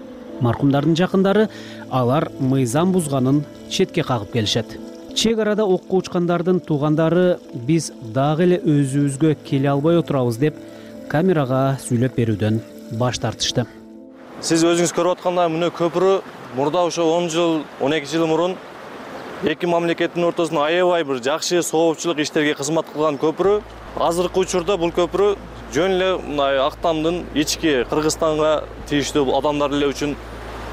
Маркумдардын жакындары алар мыйзам бузганын четке кагып келишет. Чек арада окко учкандардын туугандары биз дагы эле өзүбүзгө келе албай отурабыз деп камерага сүйлөп берүүдөн баш тартышты. Сиз өзүңүз көрүп аткандай мына көпүрө мурда ошо он жыл он эки жыл мурун эки мамлекеттин ортосунда аябай бир жакшы соопчулук иштерге кызмат кылган көпүрө. Азыркы учурда бул көпүрө жөн эле мындай Актамдын ички Кыргызстанга тийиштүү адамдар эле үчүн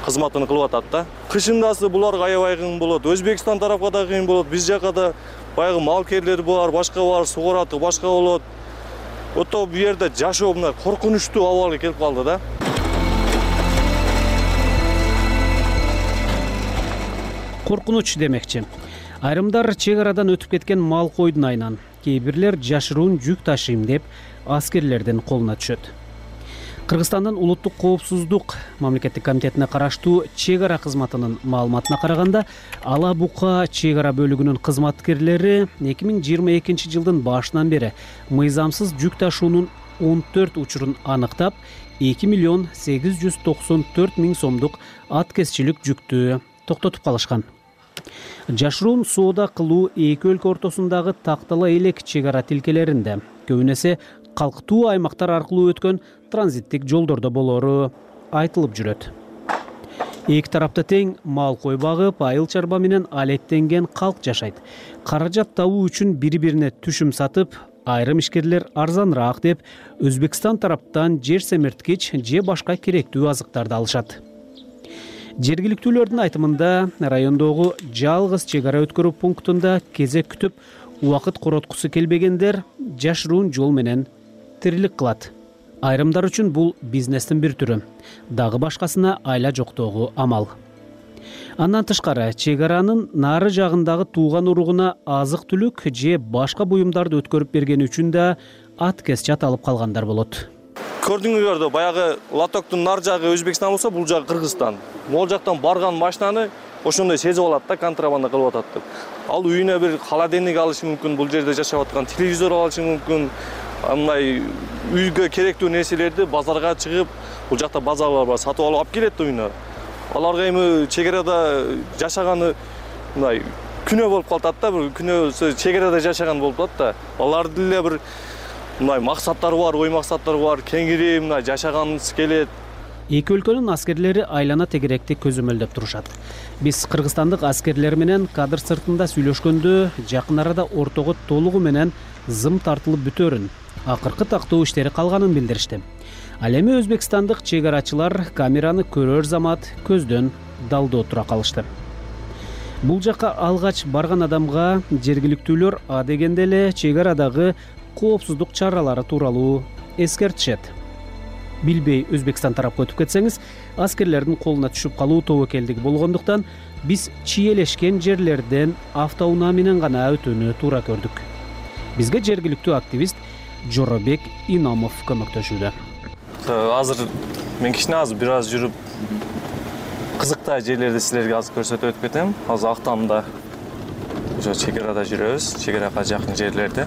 кызматын кылып атат да. Кышындасы буларга аябай кыйын болот. Өзбекстан тарапка да кыйын болот. Биз жака да баягы малкерлер бар, башка бар, сугараты башка болот. Ото бу жерде жашоо мына коркунучтуу абалга келип калды да. Коркунуч демекчи. Айрымдар чек арадан өтүп кеткен мал койдун айынан, кээ бирлер жашыруун жүк ташыйм деп аскерлердин колуна түшөт. Кыргызстандын улуттук коопсуздук мамлекеттик комитетине караштуу чек ара кызматынын маалыматына караганда, Ала Бука чек ара бөлүгүнүн кызматкерлери эки миң жыйырма экинчи жылдын башынан бери мыйзамсыз жүк ташуунун он төрт учурун аныктап, эки миллион сегиз жүз токсон төрт миң сомдук аткезчилик жүктү токтотуп калышкан. Жашыруун соода кылуу эки өлкө ортосундагы тактала элек чек ара тилкелеринде көбүнесе калктуу аймактар аркылуу өткөн транзиттик жолдордо болору айтылып жүрөт. Эки тарапта тең мал кой багып, айыл чарба менен алектенген калк жашайт. Каражат табуу үчүн бири-бирине түшүм сатып, айрым ишкерлер арзаныраак деп Өзбекстан тараптан жер семирткич же башка керектүү азыктарды алышат. Жергиликтүүлөрдүн айтымында райондогу жалгыз чек ара өткөрүү пунктунда кезек күтүп, убакыт короткусу келбегендер жашыруун жол менен тирилик кылат. Айрымдар үчүн бул бизнестин бир түрү, дагы башкасына айла жоктогу амал. Андан тышкары чек аранын нары жагындагы тууган уругуна азык-түлүк же башка буюмдарды өткөрүп бергени үчүн да аткез чат алып калгандар болот. Көрдүңүздөрдө баягы Латоктун нар жагы Өзбекстан болсо, бул жагы Кыргызстан. Могул жактан барган машинаны ошондой сезип алат да, контрабанда кылып атат деп. Ал үйүнө бир холодильник алышы мүмкүн, бул жерде жашап аткан телевизор алышы мүмкүн. Мындай үйгө керектүү нерселерди базарга чыгып, бул жакта базарлар бар, сатып алып алып келет үйүнө. Аларга эми чек арада жашаганы мындай күнөө болуп калат да, бир күнөөсү чек арада жашаган болуп атат да. Алардын эле бир мындай максаттары бар, ой максаттары бар, кеңири мындай жашаганыбыз келет. Эки өлкөнүн аскерлери айлана тегеректи көзөмөлдөп турушат. Биз кыргызстандык аскерлер менен кадр сыртында сүйлөшкөндө жакын арада ортого толугу менен зым тартылып бүтөрүн, акыркы тактоо иштери калганын билдиришти. Ал эми өзбекстандык чек арачылар камераны көрөр замат көздөн далдоо тура калышты. Бул жакка алгач барган адамга жергиликтүүлөр а дегенде эле чек арадагы коопсуздук чаралары тууралуу эскертишет. Билбей Өзбекстан тарапка өтүп кетсеңиз, аскерлердин колуна түшүп калуу тобокелдиги болгондуктан биз чиелешкен жерлерден автоунаа менен гана өтүүнү туура көрдүк. Бизге жергиликтүү активист Жоробек Иномов көмөктөшүүдө. Азыр мен кичине азыр бир аз жүрүп кызыктай жерлерди силерге азыр көрсөтүп өтүп кетем. Азыр Актамда ошо чек арада жүрөбүз, чек арага жакын жерлерде.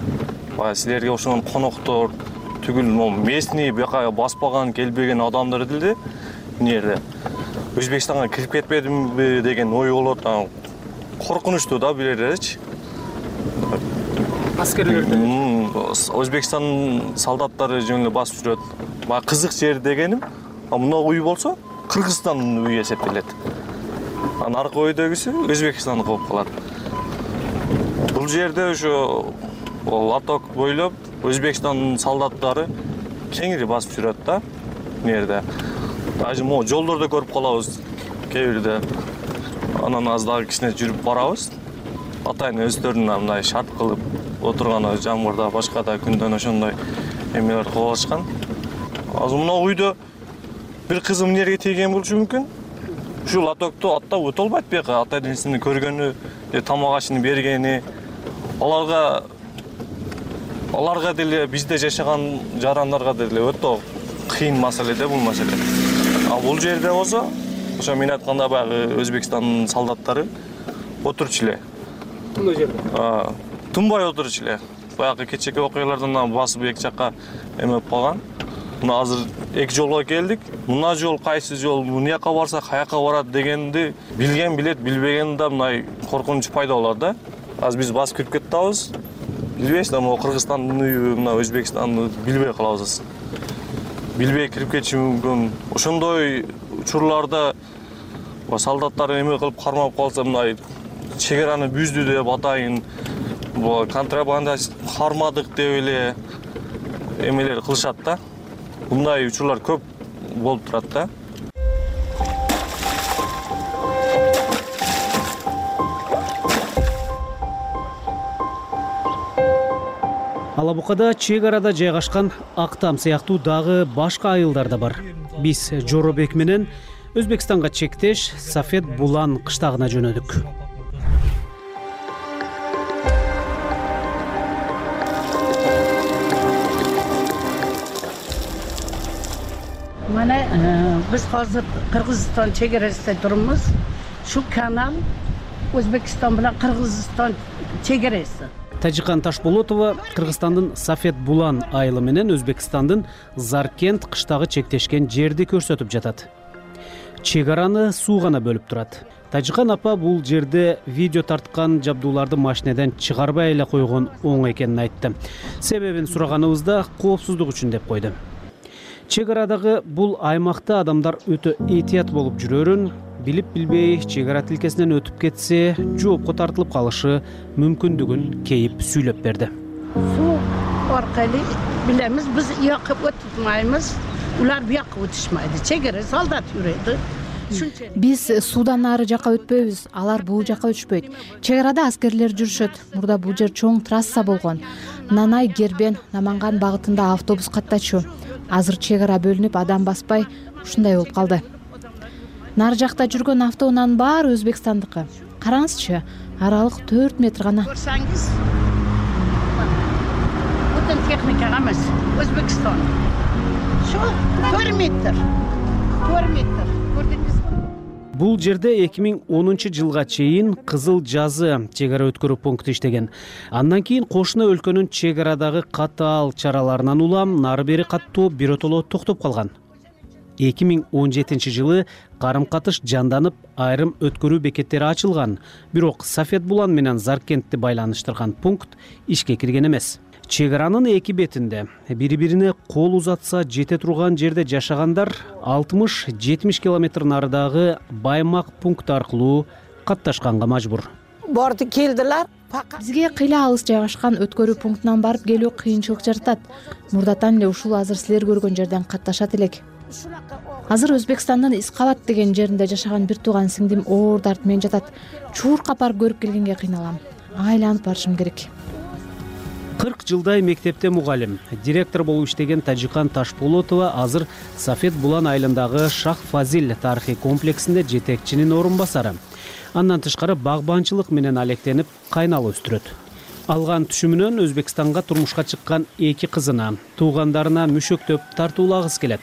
Бая силерге ошонун коноктор түгүл местный бияка баспаган, келбеген адамдар делди. Эмне жерде Өзбекстанга кирип кетпедимби деген ой болот. Коркунучтуу да бул жердечи. Аскерлердин Өзбекстан солдаттары жөн эле басып жүрөт. Бая кызык жер дегеним, мына үй болсо Кыргызстандын үйү эсептелет. Анан аркы өйдөгүсү Өзбекстандык болуп калат. Бул жерде ошо Латок бойлоп Өзбекстандын солдаттары кеңири басып жүрөт да. Эмне жерде даже могу жолдордо көрүп калабыз кээ бирде. Анан аз дагы кичине жүрүп барабыз. атайын өздөрүнүн мындай шарт кылып отурган жамгырда башка да күндөн ошондой эмелер кылып алышкан. Азыр мына үйдө бир кызы эмне жерге тийген болушу мүмкүн. Ушул лотокту аттап өтө албайт бияка, ата энесинин көргөнү, тамак ашын бергени, аларга аларга деле бизде жашаган жарандарга деле өтө кыйын маселе да бул маселе. А бул жерде болсо, ошо мен айтканда баягы Өзбекстандын солдаттары отурчу эле. Тынбай жерде. А, тынбай отурчу эле. Баягы кечээки окуялардан басып эки жакка эме калган. Мына азыр эки жолго келдик. Мына жол кайсы жол, мына жака барса каяка барат дегенди билген билет, билбеген да мындай коркунуч пайда болот да. Азыр биз басып кирип кетебиз. Билбейсиз да, могу Кыргызстандын үйү, мына Өзбекстанды билбей калабыз. Билбей кирип кетиши мүмкүн. Ошондой учурларда солдаттар эме кылып кармап калса, мындай чегараны бүздү деп атайын, бул контрабанда кармадык деп эле эмелер кылышат да. Мындай учурлар көп болуп турат да. Алабукада чек арада жайгашкан Актам сыяктуу дагы башка айылдар да бар. Биз Жоробек менен Өзбекстанга чектеш Сафет Булан кыштагына жөнөдүк. Mana biz hozir Qirg'iziston chegarasida turibmiz. Shu kanal O'zbekiston bilan Qirg'iziston chegarasi. Тажикан Ташболотова Кыргызстандын Сафет Булан айылы менен Өзбекстандын Заркент кыштагы чектешкен жерди көрсөтүп жатат. Чек араны суу гана бөлүп турат. Тажикан апа бул жерде видео тарткан жабдууларды машинеден чыгарбай эле койгон оң экенин айтты. Себебин сураганыбызда коопсуздук үчүн деп койду. Чек арадагы бул аймакта адамдар өтө этият болуп жүрөрүн, билип билбей чек ара тилкесинен өтүп кетсе, жоопко тартылып калышы мүмкүндүгүн кейип сүйлөп берди. Суу оркалуу билемиз, биз уякка өтүпмайбыз, улар буякка өтүшмөйдү. Чек ара солдат жүрөйдү. Биз суудан нары жака өтпөйбүз, алар бул жака өтүшпөйт. Чек арада аскерлер жүрүшөт. Мурда бул жер чоң трасса болгон. Нанай, Гербен, Наманган багытында автобус каттачу. Азыр чек ара бөлүнүп, адам баспай ушундай болуп калды. Нары жакта жүргөн автоунаанын баары Өзбекстандыкы. Караңызчы, аралык төрт метр гана. Көрсөңүз, бүтүн техника эмес, Өзбекстан. Şu төрт метр. төрт метр. Көрдүңүзбү? Бул жерде эки миң онунчу жылга чейин Кызыл Жазы чек ара өткөрүү пункту иштеген. Андан кийин кошуна өлкөнүн чек арадагы катаал чараларынан улам нары бери каттоо биротоло токтоп калган. эки миң он жетинчи жылы карым-катыш жанданып, айрым өткөрүү бекеттери ачылган. Бирок Сафет Булан менен Заркентти байланыштырган пункт ишке кирген эмес. Чек аранын эки бетинде бири-бирине кол узатса жете турган жерде жашагандар алтымыш жетимиш километр нарыдагы Баймак пункт аркылуу катташканга мажбур. Борду келдилер. Бизге кыйла алыс жайгашкан өткөрүү пунктунан барып келүү кыйынчылык жаратат. Мурдатан эле ушул азыр силер көргөн жерден катташат элек. Азыр Өзбекстандын Искабат деген жеринде жашаган бир тууган сиңдим оор дарт менен жатат. Чууркап барып көрүп келгенге кыйналам. Айланып барышым керек. кырк жылдай мектепте мугалим, директор болуп иштеген Тажикан Ташболотова азыр Сафет Булан айылындагы Шах Фазил тарыхый комплексинде жетекчинин орун басары. Андан тышкары багбанчылык менен алектенип кайнал өстүрөт. Алган түшүмүнөн Өзбекстанга турмушка чыккан эки кызына, туугандарына мүшөктөп тартуулагысы келет.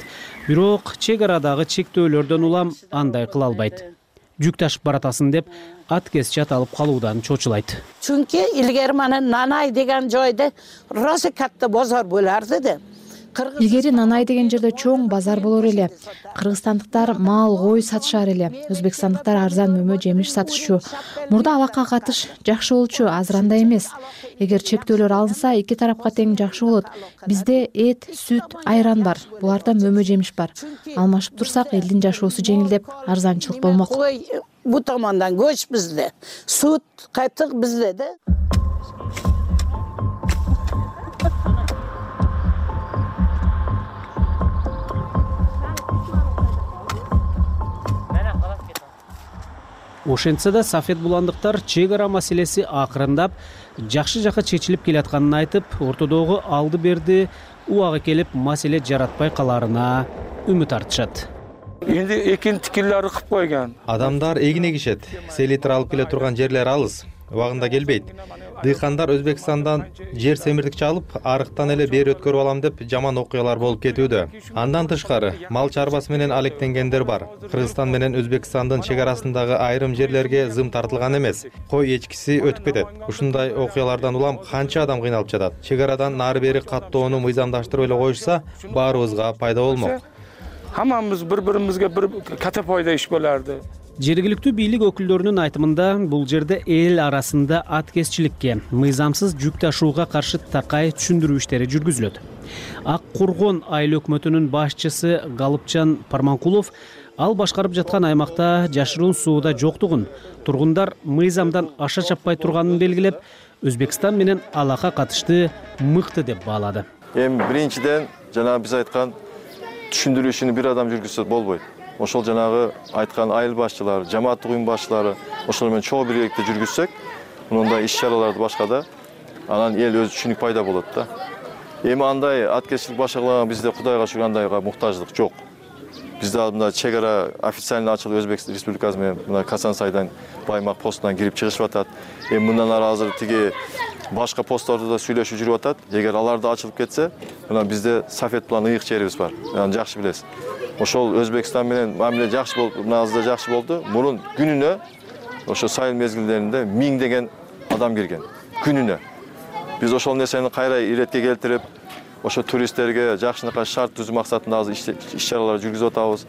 Бирок чек арадагы чектөөлөрдөн улам андай кыла албайт. Жүк ташып баратасын деп ат кесчат алып калуудан чочулайт. Чүнки илгери мана Нанай деген жойдо роса катта базар боларды да. Илгери Нанай деген жерде чоң базар болор эле. Кыргызстандыктар мал, кой сатышар эле. Өзбекстандыктар арзан мөмө жемиш сатышчу. Мурда абакка катыш жакшы болчу, азыр андай эмес. Эгер чектөөлөр алынса, эки тарапка тең жакшы болот. Бизде эт, сүт, айран бар. Буларда мөмө жемиш бар. Алмашып турсак, элдин жашоосу жеңилдеп, арзанчылык болмок. Бу томондан көч бизде, сүт, кайтык бизде да. Ошентсе да Сафет буландыктар чек ара маселеси акырындап жакшы жакка чечилип келатканын айтып, ортодогу алды берди убагы келип маселе жаратпай каларына үмүт артышат. Энди экин тикирлери кып койгон. Адамдар эгин эгишет. Селитр алып келе турган жерлер алыс, убагында келбейт. Дыйкандар Өзбекстандан жер семирдикчи алып, арыктан эле бери өткөрүп алам деп жаман окуялар болуп кетүүдө. Андан тышкары, мал чарбасы менен алектенгендер бар. Кыргызстан менен Өзбекстандын чек арасындагы айрым жерлерге зым тартылган эмес. Кой эчкиси өтүп кетет. Ушундай окуялардан улам канча адам кыйналып жатат. Чек арадан нары бери каттоону мыйзамдаштырып эле коюшса, баарыбызга пайда болмок. Хаммамыз бири-биримизге бир ката пайда иш болорду. Жергиликтүү бийлик өкүлдөрүнүн айтымында бул жерде эл арасында аткезчиликке, мыйзамсыз жүк ташууга каршы такай түшүндүрүү иштери жүргүзүлөт. Ак Кургон айыл өкмөтүнүн башчысы Галыпчан Парманкулов ал башкарып жаткан аймакта жашыруун сууда жоктугун, тургундар мыйзамдан аша чаппай турганын белгилеп, Өзбекстан менен алака катышты мыкты деп баалады. Эми биринчиден жана биз айткан түшүндүрүү ишин бир адам жүргүзсө болбойт. Ошол жанагы айткан айыл башчылары, жамааттык уюм башчылары ошол менен чогуу биргеликте жүргүзсөк, мындай иш-чараларды башкада анан эл өз түшүнүк пайда болот да. Эми андай аткезчилик башкарган бизде Кудайга шүгүр андайга муктаждык жок. Бизде мына чек ара официально ачылып Өзбек Республикасы менен мына Касансайдан Баймак постунан кирип чыгышып атат. Эми мындан ары азыр тиги башка посттарда да сүйлөшүп жүрүп атат. Эгер алар да ачылып кетсе, мына бизде Сафет булан ыйык жерибиз бар. Аны жакшы билесиз. Ошол Өзбекстан менен мамиле жакшы болуп, мына азыр жакшы болду. Мурун күнүнө ошо сайыл мезгилдеринде миңдеген адам келген. Күнүнө. Биз ошол нерсени кайра иретке келтирип, ошо туристтерге жакшынакай шарт түзүү максатында азыр иш-чаралар жүргүзүп атабыз.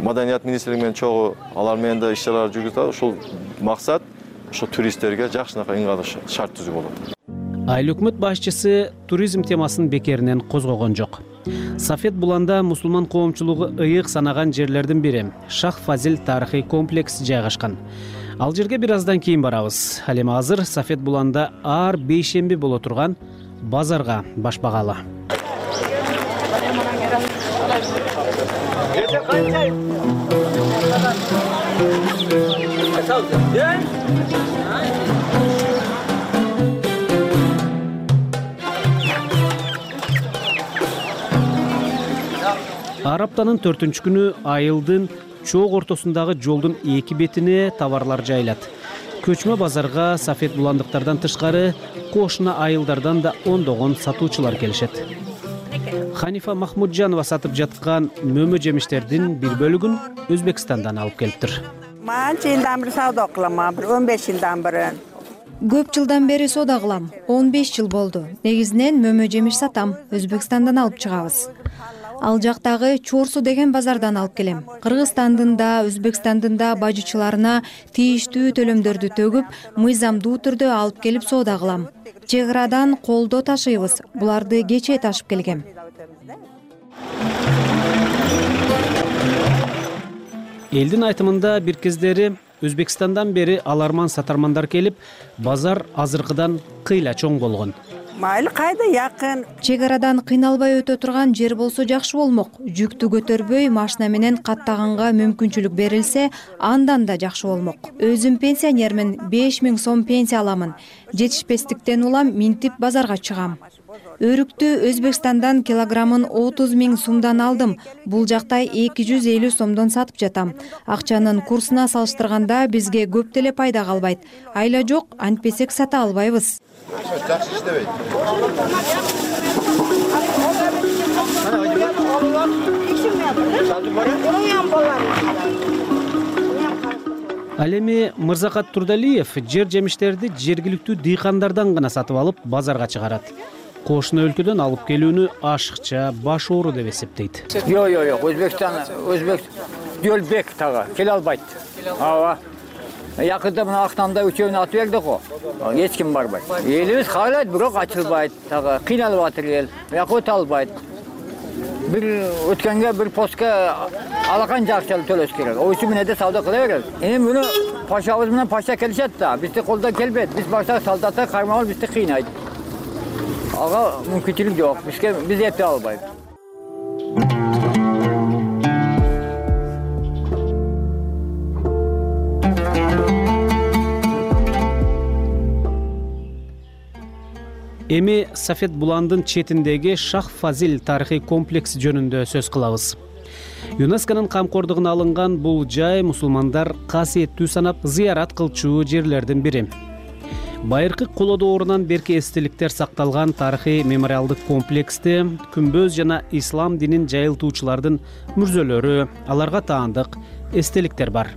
Маданият министрлиги менен чогуу алар менен да иш-чаралар жүргүзүп атабыз. Ошол максат ошо туристтерге жакшынакай ыңгайлуу шарт түзүү болот. Айыл өкмөт башчысы туризм темасын бекеринен козгогон жок. Сафет буланда мусулман коомчулугу ыйык санаган жерлердин бири Шах Фазил тарыхый комплекс жайгашкан. Ал жерге бир аздан кийин барабыз. Ал эми азыр Сафет буланда ар бейшемби боло турган базарга баш багалы. Ар аптанын төртүнчү күнү айылдын чоок ортосундагы жолдун эки бетине товарлар жайылат. Көчмө базарга Сафет буландыктардан тышкары кошуна айылдардан да ондогон сатуучулар келишет. Ханифа Махмуджанова сатып жаткан мөмө жемиштердин бир бөлүгүн Өзбекстандан алып келиптир. Манча жылдан бери сауда кылам, бир он беш жылдан бери. Көп жылдан бери соода кылам. он беш жыл болду. Негизинен мөмө жемиш сатам. Өзбекстандан алып чыгабыз. Ал жактагы Чорсу деген базардан алып келем. Кыргызстандын да, Өзбекстандын да бажычыларына тийиштүү төлөмдөрдү төгүп, мыйзамдуу түрдө алып келип соода кылам. Чек арадан колдо ташыйбыз. Буларды кечээ ташып келгем. Элдин айтымында бир кездери Өзбекстандан бери аларман сатармандар келип, базар азыркыдан кыйла чоң болгон. Майыл кайда якын. Чек арадан кыйналбай өтө турган жер болсо жакшы болмок. Жүктү көтөрбөй машина менен каттаганга мүмкүнчүлүк берилсе, андан да жакшы болмок. Өзүм пенсионермин, беш миң сом пенсия аламын. Жетишпестиктен улам минтип базарга чыгам. Өрүктү Өзбекстандан килограммын отуз миң сомдон алдым. Бул жакта эки жүз элүү сомдон сатып жатам. Акчанын курсуна салыштырганда бизге көп деле пайда калбайт. Айла жок, антпесек сата албайбыз. Жакшы иштебейт. Ал эми Мырзакат Турдалиев жер жемиштерди жергиликтүү дыйкандардан гана сатып алып базарга чыгарат. Кошуна өлкөдөн алып келүүнү ашыкча баш оору деп эсептейт. Жок, жок, жок, Өзбекстан, Өзбек жолбек тагы келе албайт. Ооба. Якында мына Актамда үчөөнү атып бердик го. Эч ким барбайт. Элибиз каалайт, бирок ачылбайт. Тагы кыйналып атыр эл. Бияка өтө албайт. Бир өткөнгө бир постка алакан жакчалы төлөш керек. Ойчу менен да сауда кыла берет. Эми муну пашабыз менен паша келишет да. Бизди колдон келбейт. Биз башта солдаттар кармалып бизди кыйнайт. Ага мүмкүнчүлүк жок. Бизге биз эпе албайбыз. эми Сафет Буландын четиндеги Шах Фазил тарыхый комплекси жөнүндө сөз кылабыз. ЮНЕСКОнун камкордугуна алынган бул жай мусулмандар касиеттүү санап зыярат кылчу жерлердин бири. Байыркы коло доорунан берки эстеликтер сакталган тарыхый мемориалдык комплексте күмбөз жана ислам динин жайылтуучулардын мүрзөлөрү, аларга таандык эстеликтер бар.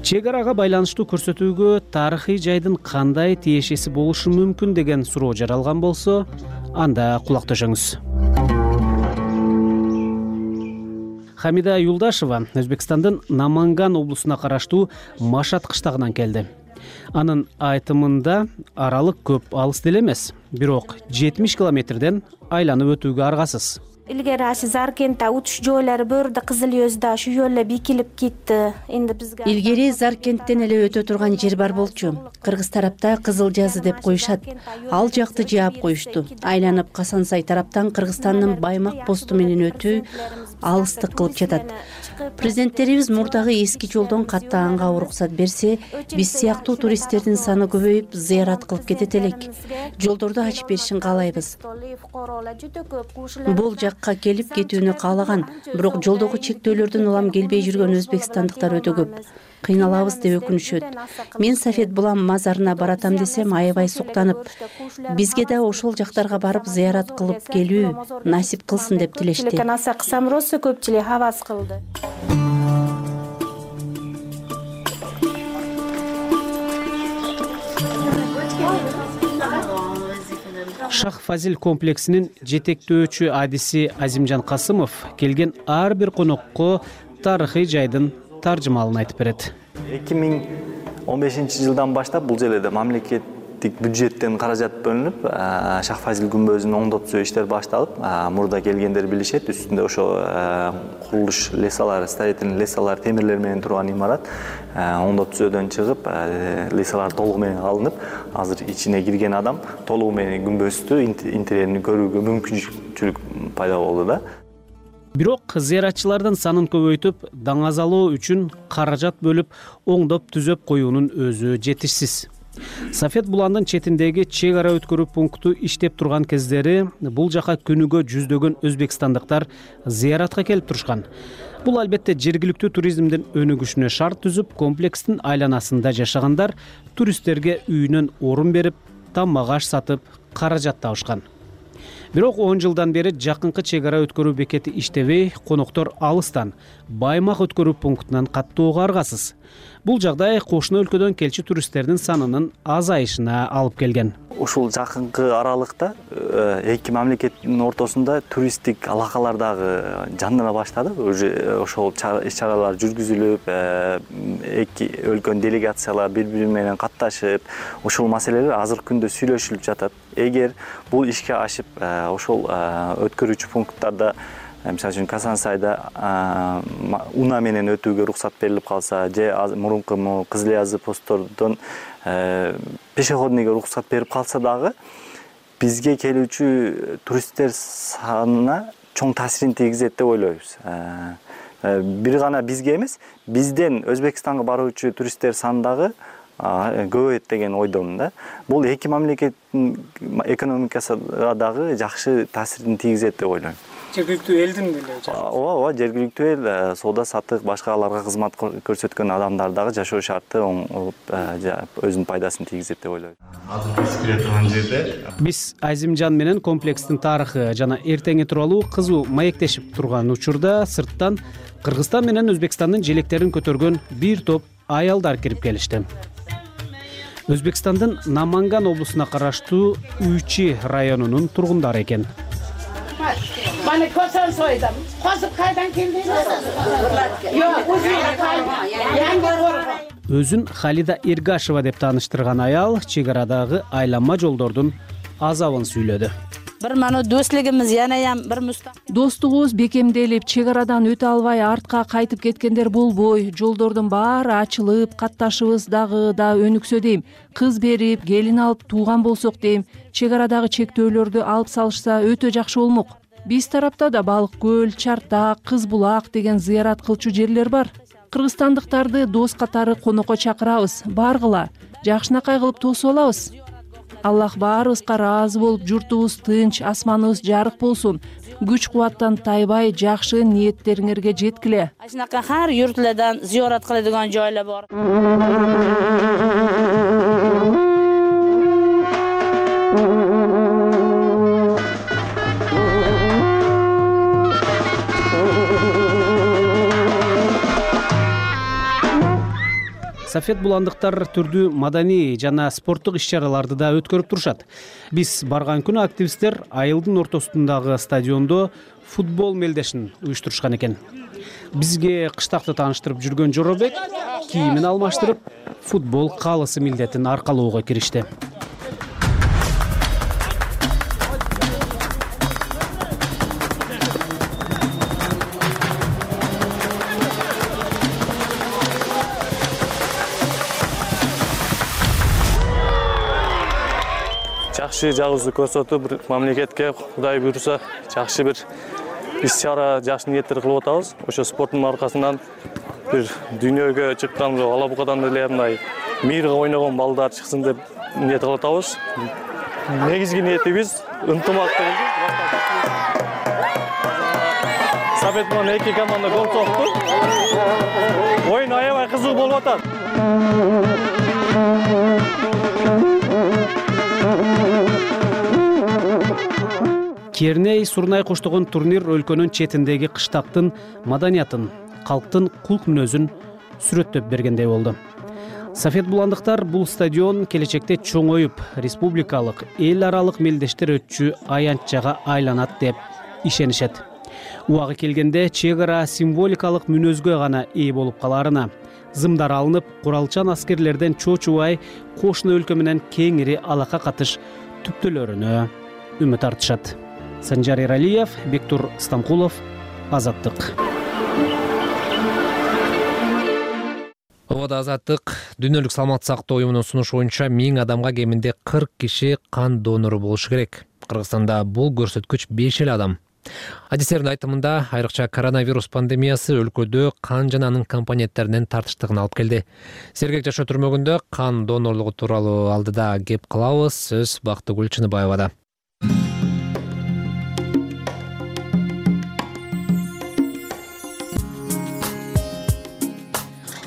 Чек арага байланыштуу көрсөтүүгө тарыхый жайдын кандай тиешеси болушу мүмкүн деген суроо жаралган болсо, анда кулак төшөңүз. Хамида Юлдашева Өзбекстандын Наманган облусуна караштуу Машат кыштагынан келди. Анын айтымында аралык көп алыс деле эмес, бирок жетимиш километрден айланып өтүүгө аргасыз. Илгери ашы Заркентте утуш жойлары бөрдө Кызыл Өздө ушу жолла бекилип кетти. Эndi бизге Илгери Заркенттен эле өтө турган жер бар болчу. Кыргыз тарапта Кызыл жазы деп коюшат. Ал жакты жаап коюшту. Айланып Касансай тараптан Кыргызстандын Баймак посту менен өтүү алыстык кылып жатат. Президенттерибиз мурдагы эски жолдон каттаганга уруксат берсе, биз сыяктуу туристтердин саны көбөйүп, зыярат кылып кетет элек. Жолдорду ачып беришин каалайбыз. Бул жакка келип кетүүнү каалаган, бирок жолдогу чектөөлөрдөн улам келбей жүргөн өзбекстандыктар өтө көп. Кыйналабыз деп өкүнүшөт. Мен Сафет Булан мазарына баратам десем аябай суктанып, бизге да ошол жактарга барып зыярат кылып келүү насип кылсын деп тилешти. Көпчүлүк хавас кылды. Шах Фазил комплексинин жетектөөчү адиси Азимжан Касымов келген ар бир конокко тарыхый жайдын таржымалын айтып берет. эки миң он бешинчи жылдан баштап бул жерде мамлекеттик бюджеттен каражат бөлүнүп, Шах Фазил күмбөзүн оңдотуу иштер башталып, мурда келгендер билишет, үстүндө ошо курулуш лесалары, строительный лесалар, темирлер менен турган имарат оңдотүүдөн чыгып, лесалар толугу менен алынып, азыр ичине кирген адам толугу менен күмбөздү интерьерин көрүүгө мүмкүнчүлүк пайда болду да. Бирок зыяратчылардын санын көбөйтүп, даңазалоо үчүн каражат бөлүп, оңдоп түзөп коюунун өзү жетишсиз. Сафет Буландын четиндеги чек ара өткөрүү пункту иштеп турган кездери бул жака күнүгө жүздөгөн өзбекстандыктар зыяратка келип турушкан. Бул албетте жергиликтүү туризмдин өнүгүшүнө шарт түзүп, комплекстин айланасында жашагандар туристтерге үйүнөн орун берип, тамак аш сатып, каражат табышкан. Бирок он жылдан бери жакынкы чек ара өткөрүү бекети иштебей, коноктор алыстан Баймак өткөрүү пунктунан каттоого аргасыз. Бул жагдай кошуна өлкөдөн келчү туристтердин санынын азайышына алып келген. Ушул жакынкы аралыкта эки мамлекеттин ортосунда туристтик алакалар дагы жандана баштады. Ошол иш-чаралар жүргүзүлүп, эки өлкөнүн делегациялары бири-бири менен катташып, ушул маселелер азыркы күндө сүйлөшүлүп жатат. Эгер бул ишке ашып, ошол өткөрүүчү пункттарда, мисалы үчүн Касансайда уна менен өтүүгө уруксат берилип калса, же мурунку Кызыл Жазы посттордон пешеходныйга уруксат берип калса дагы, бизге келүүчү туристтер санына чоң таасирин тийгизет деп ойлойбуз. Бир гана бизге эмес, бизден Өзбекстанга баруучу туристтер саны дагы көбөйөт деген ойдомун да. Бул эки мамлекеттин экономикасына дагы жакшы таасирин тийгизет деп ойлойм. Жергиликтүү элдин деле. Ооба, ооба, жергиликтүү эл, соода саттык, башка аларга кызмат көрсөткөн адамдар дагы жашоо шарты өзүнүн пайдасын тийгизет деп ойлойм. Азыр биз кире турган жерде биз Азимжан менен комплекстин тарыхы жана эртеңи тууралуу кызуу маектешип турган учурда сырттан Кыргызстан менен Өзбекстандын желектерин көтөргөн бир топ аялдар кирип келишти. Өзбекстандын Наманган облусуна караштуу Үйчи районунун тургундары экен. Bana kosan soydum. Kosup kaydan keldiniz? Yok, uzun kaydan. Yangi korku. Өзүн Халида Эргашева деп тааныштырган аял чек арадагы айланма жолдордун азабын сүйлөдү. Бир мана достугубуз янаям бир мустак. Достугубуз бекемделип, чек арадан өтө албай артка кайтып кеткендер болбой, жолдордун баары ачылып, катташыбыз дагы да өнүксө дейм. Кыз берип, келин алып тууган болсок дейм. Чек арадагы чектөөлөрдү алып салышса өтө жакшы болмок. Биз тарапта да Балык көл, Чартак, Кыз булак деген зыярат кылчу жерлер бар. Кыргызстандыктарды дос катары конокко чакырабыз, баргыла, жакшынакай кылып тосуп алабыз. Аллах баарыбызга ыраазы болуп, журтубуз тынч, асманыбыз жарык болсун. Күч кубаттан тайбай, жакшы ниеттериңерге жеткиле. Ушунака ар юртлардан зиёрат кылadigan joylar bor. Сафет буландыктар түрдүү маданий жана спорттук иш-чараларды да өткөрүп турушат. Биз барган күнү активисттер айылдын ортосундагы стадиондо футбол мелдешин уюштурушкан экен. Бизге кыштакты тааныштырып жүргөн Жоробек кийимин алмаштырып, футбол каалысы милдетин аркалоого киришти. Жакшы жагыбызды көрсөтүп, бир мамлекетке Кудай буйруса, жакшы бир иш-чара, жакшы ниеттер кылып атабыз. Ошо спорттун аркасынан бир дүйнөгө чыккан Алабукадан эле мындай мирге ойногон балдар чыксын деп ниет кылып атабыз. Негизги ниетибиз ынтымактуу. Сафет менен эки команда гол сокту. Оюн аябай кызык болуп атат. Керней Сурнай коштогон турнир өлкөнүн четиндеги кыштактын маданиятын, калктын кулк мүнөзүн сүрөттөп бергендей болду. Сафет буландыктар бул стадион келечекте чоңоюп, республикалык, эл аралык мелдештер өтчү аянтчага айланат деп ишенишет. Убагы келгенде чек ара символикалык мүнөзгө гана ээ болуп каларына, зымдар алынып, куралчан аскерлерден чочубай, кошуна өлкө менен кеңири алака катыш түптөлөрүнө үмүт артышат. Санжар Эралиев, Бектур Стамкулов, Азаттык. Обада Азаттык. Дүйнөлүк саламаттык сактоо уюмунун сунушу боюнча миң адамга кеминде кырк киши кан донору болушу керек. Кыргызстанда бул көрсөткүч беш эле адам. Адистердин айтымында, айрыкча коронавирус пандемиясы өлкөдө кан жана анын компоненттеринин тартыштыгын алып келди. Сергек жашоо түрмөгүндө кан донорлугу тууралуу алдыда кеп кылабыз. Сөз Бактыгүл Чыныбаевада.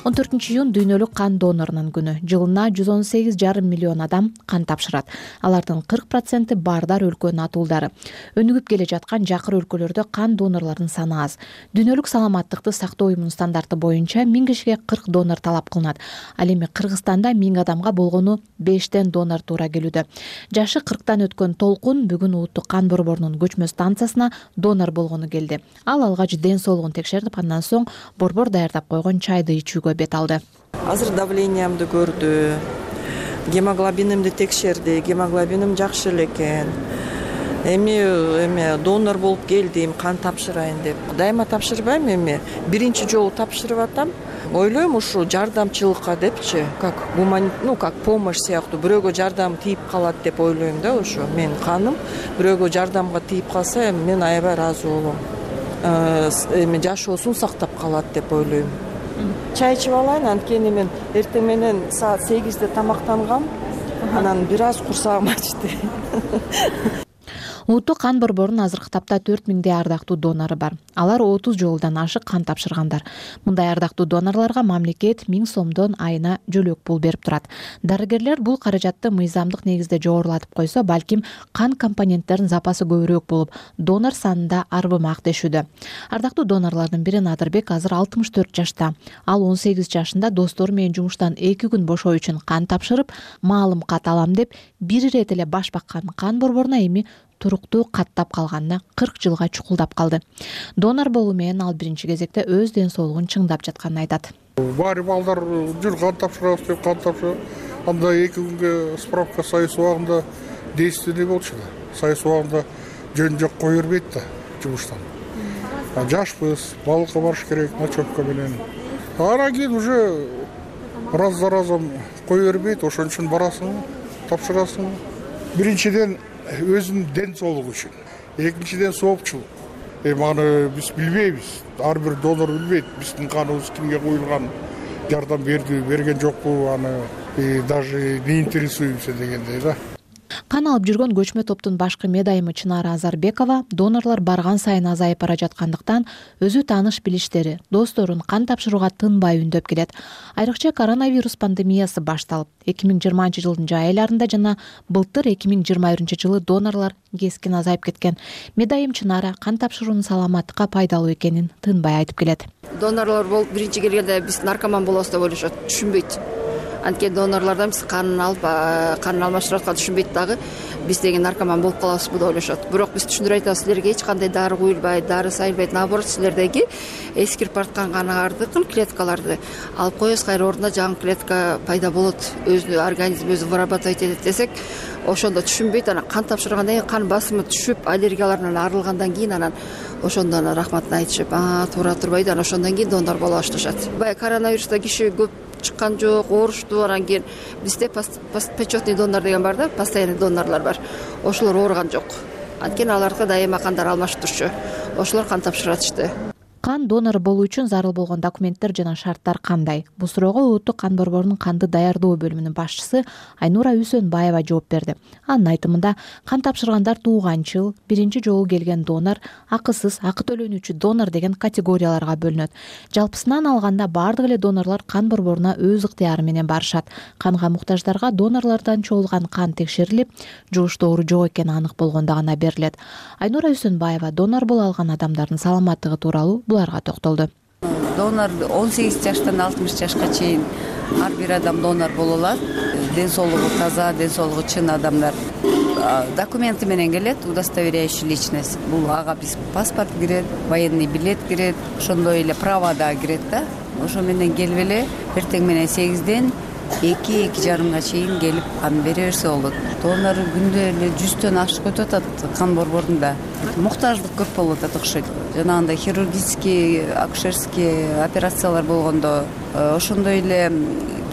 он төртүнчү июнь дүйнөлүк кан донорунун күнү. Жылына жүз он сегиз жарым миллион адам кан тапшырат. Алардын кырк проценти бардар өлкөнүн атуулдары. Өнүгүп келе жаткан жакыр өлкөлөрдө кан донорлордун саны аз. Дүйнөлүк саламаттыкты сактоо уюмунун стандарты боюнча миң кишиге кырк донор талап кылынат. Ал эми Кыргызстанда миң адамга болгону бештен донор туура келүүдө. Жашы кырктан өткөн Толкун бүгүн Улуттук кан борборунун көчмө станциясына донор болгону келди. Ал алгач ден соолугун текшертип, андан соң борбор даярдап койгон чайды ичүүгө бет алды. Азыр давлениямды көрдү, гемоглобинимди текшерди, гемоглобиним жакшы эле экен. Эми эми донор болуп келдим, кан тапшырайын деп. Дайыма тапшырбайм, эми биринчи жолу тапшырып атам. Ойлойм, ушу жардамчылыкка депчи, как гуман, ну как помощь сыяктуу, бирөөгө жардам тийип калат деп ойлойм да, ошо. Мен каным бирөөгө жардамга тийип калса, мен аябай ыраазы болом. Эми жашоосун сактап калат деп ойлойм. Чай ичип алайын, анткени мен эртең менен саат сегизде тамактангам, анан бир аз курсагым ачты. Улуттук кан борборунун азыркы тапта төрт миңдей ардактуу донору бар. Алар отуз жолдон ашык кан тапшыргандар. Мындай ардактуу донорлорго мамлекет миң сомдон айына жөлөк пул берип турат. Дарыгерлер бул каражатты мыйзамдык негизде жогорулатып койсо, балким кан компоненттеринин запасы көбүрөөк болуп, донор санында арбымак дешүүдө. Ардактуу донорлордун бири Надырбек азыр алтымыш төрт жашта. Ал он сегиз жашында достору менен жумуштан эки күн бошоо үчүн кан тапшырып, маалым кат алам деп бир ирет эле баш баккан кан борборуна эми туруктуу каттап калганына кырк жылга чукулдап калды. Донор болуу менен ал биринчи кезекте өз ден соолугун чыңдап жатканын айтат. Баары балдар жүр кан тапшырабыз деп кан тапшырып, анда эки күнгө справка сайыс убагында действенный болчу да. Сайыс убагында жөн жок кое бербейт да жумуштан. Жашпыз, балыкка барыш керек, ночевка менен. Анан кийин уже раз за разом кое бербейт, ошон үчүн барасың, тапшырасың. Биринчиден өзүнүн ден соолугу үчүн, экинчиден соопчулук. Эми аны биз билбейбиз, ар бир донор билбейт, биздин каныбыз кимге куюлган, жардам берди, берген жокпу, аны даже не интересуемся дегендей да. Кан алып жүргөн көчмө топтун башкы медайымы Чынара Азарбекова донорлор барган сайын азайып бара жаткандыктан өзү тааныш билиштери, досторун кан тапшырууга тынбай үндөп келет. Айрыкча коронавирус пандемиясы башталып, эки миң жыйырманчы жылдын жай айларында жана былтыр эки миң жыйырма биринчи жылы донорлор кескин азайып кеткен. Медайым Чынара кан тапшыруунун саламаттыкка пайдалуу экенин тынбай айтып келет. Донорлор болуп биринчи келгенде биз наркоман болобуз деп ойлошот, түшүнбөйт. Анткени донорлордон биз канын алып, канын алмаштырып атканды түшүнбөйт дагы. Биз деген наркоман болуп калабызбы деп ойлошот. Бирок биз түшүндүрүп айтабыз, силерге эч кандай дары куюлбайт, дары сайылбайт. Наоборот, силердеги эскирип бараткан каныңардыкын клеткаларды алып коебуз, кайра ордуна жаңы клетка пайда болот. Өзү организм өзү вырабатывать этет десек, ошондо түшүнбөйт. Анан кан тапшыргандан кийин кан басымы түшүп, аллергиялардан арылгандан кийин анан ошондо анан рахматын айтышып, а туура турбайбы, анан ошондон кийин донор боло башташат. Баягы коронавируста киши көп чыккан жок, оорушту. Анан кийин бизде почетный донор деген бар да, постоянный донорлор бар. Ошолор ооруган жок. Анткени аларга дайыма кандар алмашып турчу. Ошолор кан тапшыратышты. Кан донору болуу үчүн зарыл болгон документтер жана шарттар кандай? Бул суроого улуттук кан борборунун канды даярдоо бөлүмүнүн башчысы Айнура Үсөнбаева жооп берди. Анын айтымында, кан тапшыргандар тууганчыл, биринчи жолу келген донор, акысыз, акы төлөнүүчү донор деген категорияларга бөлүнөт. Жалпысынан алганда бардык эле донорлор кан борборуна өз ыктыяры менен барышат. Канга муктаждарга донорлордон чогулган кан текшерилип, жугуштоору жок экени анык болгондо гана берилет. Айнура Үсөнбаева донор боло алган адамдардын саламаттыгы тууралуу буларга токтолду. Донор он сегиз жаштан алтымыш жашка чейин ар бир адам донор боло алат. Ден соолугу таза, ден соолугу чын адамдар документи менен келет, удостоверяющий личность. Бул ага биз паспорт кирет, военный билет кирет, ошондой эле права да кирет да. Ошо менен келип эле эртең менен сегизден эки эки жарымга чейин келип кан бере берсе болот. Донор күндө эле жүздөн ашык өтүп атат кан борборунда. Муктаждык көп болуп атат окшойт. Жанагындай хирургический, акушерский операциялар болгондо, ошондой эле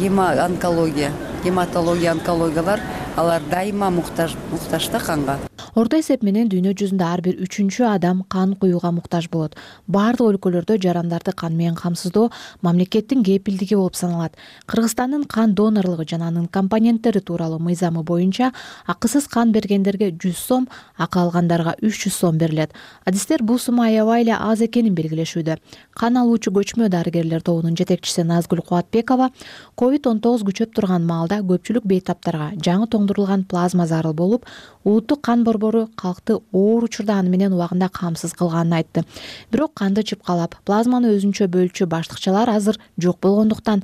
гемоонкология, гематология, онкологиялар алар дайыма муктаж муктаж да канга. Орто эсеп менен дүйнө жүзүндө ар бир үчүнчү адам кан куюуга муктаж болот. Бардык өлкөлөрдө жарандарды кан менен камсыздоо мамлекеттин кепилдиги болуп саналат. Кыргызстандын кан донорлугу жана анын компоненттери тууралуу мыйзамы боюнча акысыз кан бергендерге жүз сом, акы алгандарга үч жүз сом берилет. Адистер бул сума аябай эле аз экенин белгилешүүдө. Кан алуучу көчмө дарыгерлер тобунун жетекчиси Назгүл Кубатбекова ковид он тогуз күчөп турган маалда көпчүлүк бейтаптарга жаңы тоңдурулган плазма зарыл болуп, улуттук кан борбору калкты оор учурда аны менен убагында камсыз кылганын айтты. Бирок канды чыпкалап, плазманы өзүнчө бөлчү баштыкчалар азыр жок болгондуктан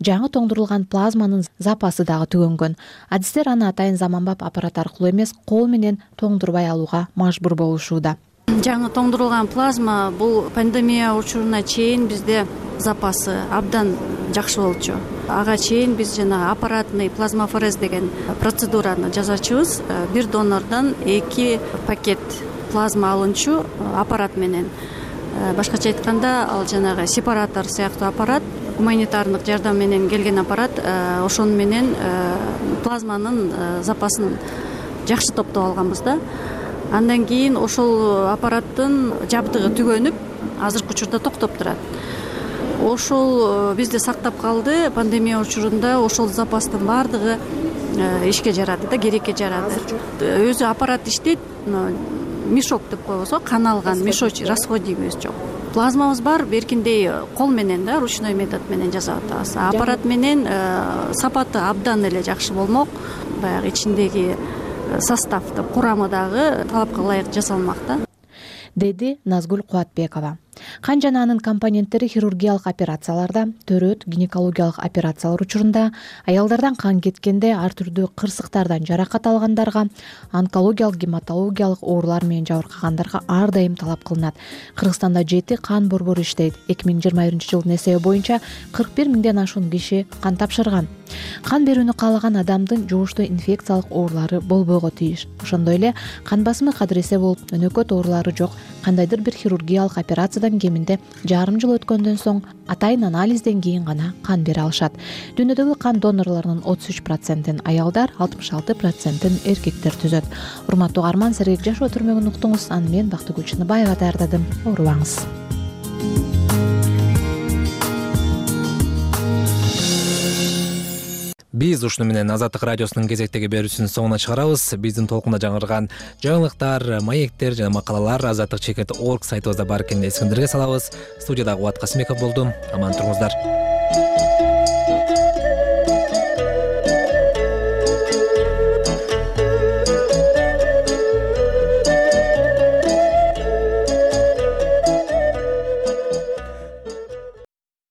жаңы тоңдурулган плазманын запасы дагы түгөнгөн. Адистер аны атайын заманбап аппарат аркылуу эмес, кол менен тоңдурбай алууга мажбур болушууда. Жаңы тоңдурулган плазма бул пандемия учуруна чейин бизде запасы абдан жакшы болчу. Ага чейин биз жана аппаратный плазмафорез деген процедураны жасачубуз. Бир донордон эки пакет плазма алынчу аппарат менен. Башкача айтканда, ал жанагы сепаратор сыяктуу аппарат, гуманитардык жардам менен келген аппарат, ошону менен плазманын запасын жакшы топтоп алганбыз да. Андан кийин ошол аппараттын жабдыгы түгөнүп, азыркы учурда токтоп турат. Ошол бизде сактап калды. Пандемия учурунда ошол запастын бардыгы ишке жарады да, керекке жарады. Өзү аппарат иштейт, мешок деп коебуз, кан алган мешочек, расходимыз жок. Плазмабыз бар, беркиндей кол менен да, ручной метод менен жасап атабыз. Аппарат менен сапаты абдан эле жакшы болмок. Баягы ичиндеги составды, курамы дагы талапка ылайык жасалмак да, деди Назгүл Кубатбекова. Кан жана анын компоненттери хирургиялык операцияларда, төрөт, гинекологиялык операциялар учурунда, аялдардан кан кеткенде, ар түрдүү кырсыктардан жаракат алгандарга, онкологиялык, гематологиялык оорулар менен жабыркагандарга ар дайым талап кылынат. Кыргызстанда жети кан борбору иштейт. эки миң жыйырма биринчи жылдын эсеби боюнча кырк бир миңден ашуун киши кан тапшырган. Кан берүүнү каалаган адамдын жугуштуу инфекциялык оорулары болбойго тийиш. Ошондой эле кан басымы кадыресе болуп, өнөкөт оорулары жок, кандайдыр бир хирургиялык операциядан кеминде жарым жыл өткөндөн соң атайын анализден кийин гана кан бере алышат. Дүйнөдөгү кан донорлорунун отуз үч процентин аялдар, алтымыш алты процентин эркектер түзөт. Урматтуу угарман, сергек жашоо түрмөгүн уктуңуз. Аны мен Бактыгүл Чыныбаева даярдадым. Оорубаңыз. Биз ушуну менен Азаттык радиосунун кезектеги берүүсүнүн соңуна чыгарабыз. Биздин толкунда жаңырган жаңылыктар, маектер жана макалалар азаттык чекит точка орг сайтыбызда бар экенин эсиңиздерге салабыз. Студияда Кубат Касымбеков болдум. Аман туруңуздар.